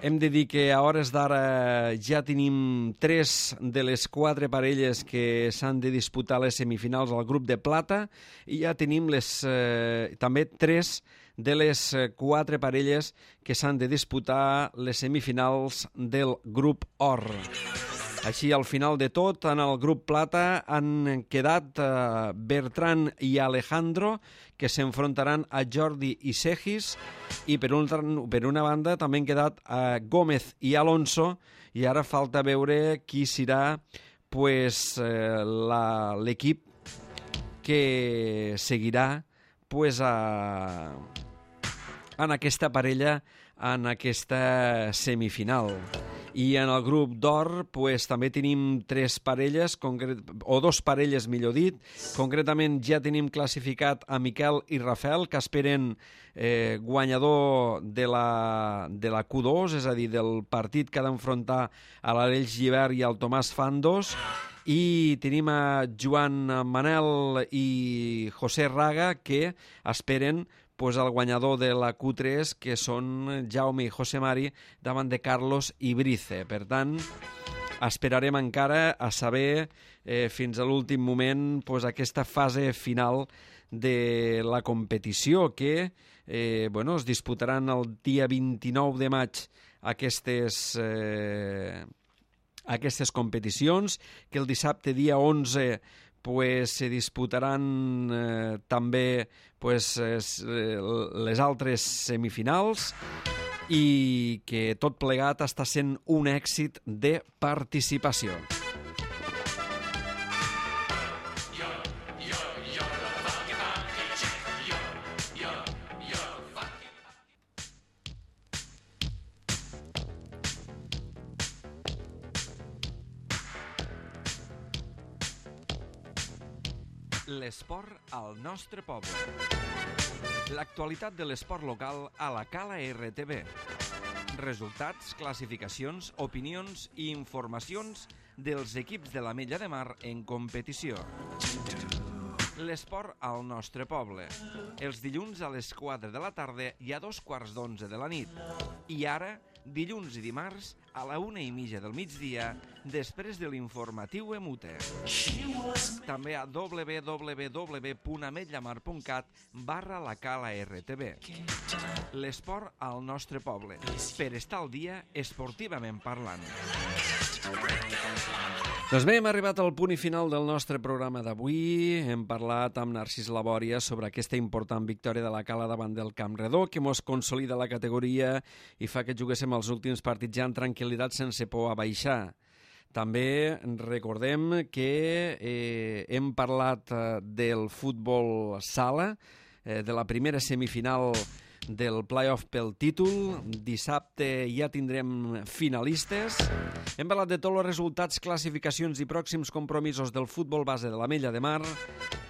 [SPEAKER 1] hem de dir que a hores d'ara ja tenim tres de les quatre parelles que s'han de disputar les semifinals al grup de plata i ja tenim les, eh, també tres de les quatre parelles que s'han de disputar les semifinals del grup or. Així, al final de tot, en el grup plata han quedat eh, Bertran i Alejandro, que s'enfrontaran a Jordi i Segis, i per, un, per una banda també han quedat eh, Gómez i Alonso, i ara falta veure qui serà pues, eh, l'equip que seguirà pues, a, en aquesta parella, en aquesta semifinal. I en el grup d'or pues, també tenim tres parelles, o dos parelles millor dit. Concretament ja tenim classificat a Miquel i Rafael, que esperen eh, guanyador de la, de la Q dos, és a dir, del partit que ha d'enfrontar a l'Aleix Givert i al Tomàs Fandos. I tenim a Joan Manel i José Raga, que esperen pues, el guanyador de la Q tres, que són Jaume i José Mari, davant de Carlos i Brice. Per tant, esperarem encara a saber eh, fins a l'últim moment pues, aquesta fase final de la competició, que eh, bueno, es disputaran el dia vint-i-nou de maig aquestes, eh, aquestes competicions, que el dissabte dia onze pues, se disputaran eh, també pues, eh, les altres semifinals i que tot plegat està sent un èxit de participació. L'esport al nostre poble. L'actualitat de l'esport local a la Cala R T B. Resultats, classificacions, opinions i informacions dels equips de l'Ametlla de Mar en competició. L'esport al nostre poble. Els dilluns a les quatre de la tarda i a dos quarts d'onze de la nit. I ara, dilluns i dimarts, a la una i mitja del migdia, després de l'informatiu Emute. També a w w w punt ametllamar punt cat barra la Cala R T B. L'esport al nostre poble. Per estar al dia, esportivament parlant. Doncs bé, hem arribat al punt i final del nostre programa d'avui. Hem parlat amb Narcís Labòria sobre aquesta important victòria de la Cala davant del Camp Redó, que mos consolida la categoria i fa que juguéssim els últims partits ja en tranquil·litat sense por a baixar. També recordem que eh, hem parlat eh, del futbol sala, eh, de la primera semifinal del play-off pel títol. Dissabte ja tindrem finalistes. Hem parlat de tots els resultats, classificacions i pròxims compromisos del futbol base de l'Ametlla de Mar.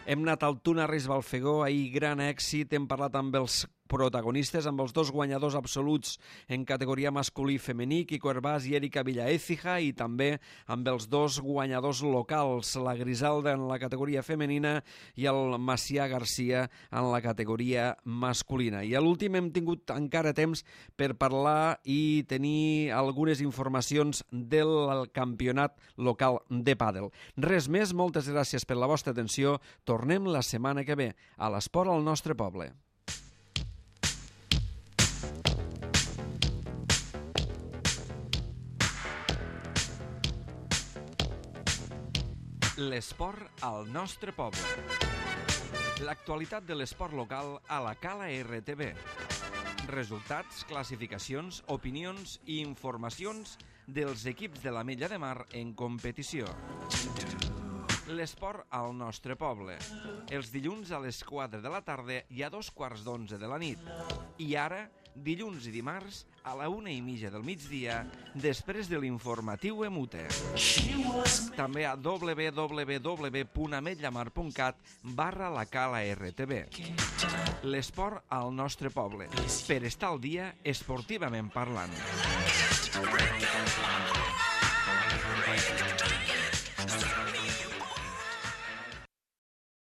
[SPEAKER 1] Hem anat al Tuna Reis Balfegó, ahir gran èxit. Hem parlat amb els protagonistes, amb els dos guanyadors absoluts en categoria masculí i femení, Quico Hervás i Erika Villaécija, i també amb els dos guanyadors locals, la Griselda en la categoria femenina i el Macià Garcia en la categoria masculina. I a l'últim hem tingut encara temps per parlar i tenir algunes informacions del campionat local de pàdel. Res més, moltes gràcies per la vostra atenció. Tornem la setmana que ve a l'esport al nostre poble. L'esport al nostre poble. L'actualitat de l'esport local a la Cala R T B. Resultats, classificacions, opinions i informacions dels equips de l'Ametlla de Mar en competició. L'esport al nostre poble. Els dilluns a les quatre de la tarda i a dos quarts d'onze de la nit. I ara, dilluns i dimarts, a la una i mitja del migdia, després de l'informatiu Emute. També a w w w punt ametllamar punt cat barra la cala R T B. L'esport al nostre poble. Per estar al dia esportivament parlant.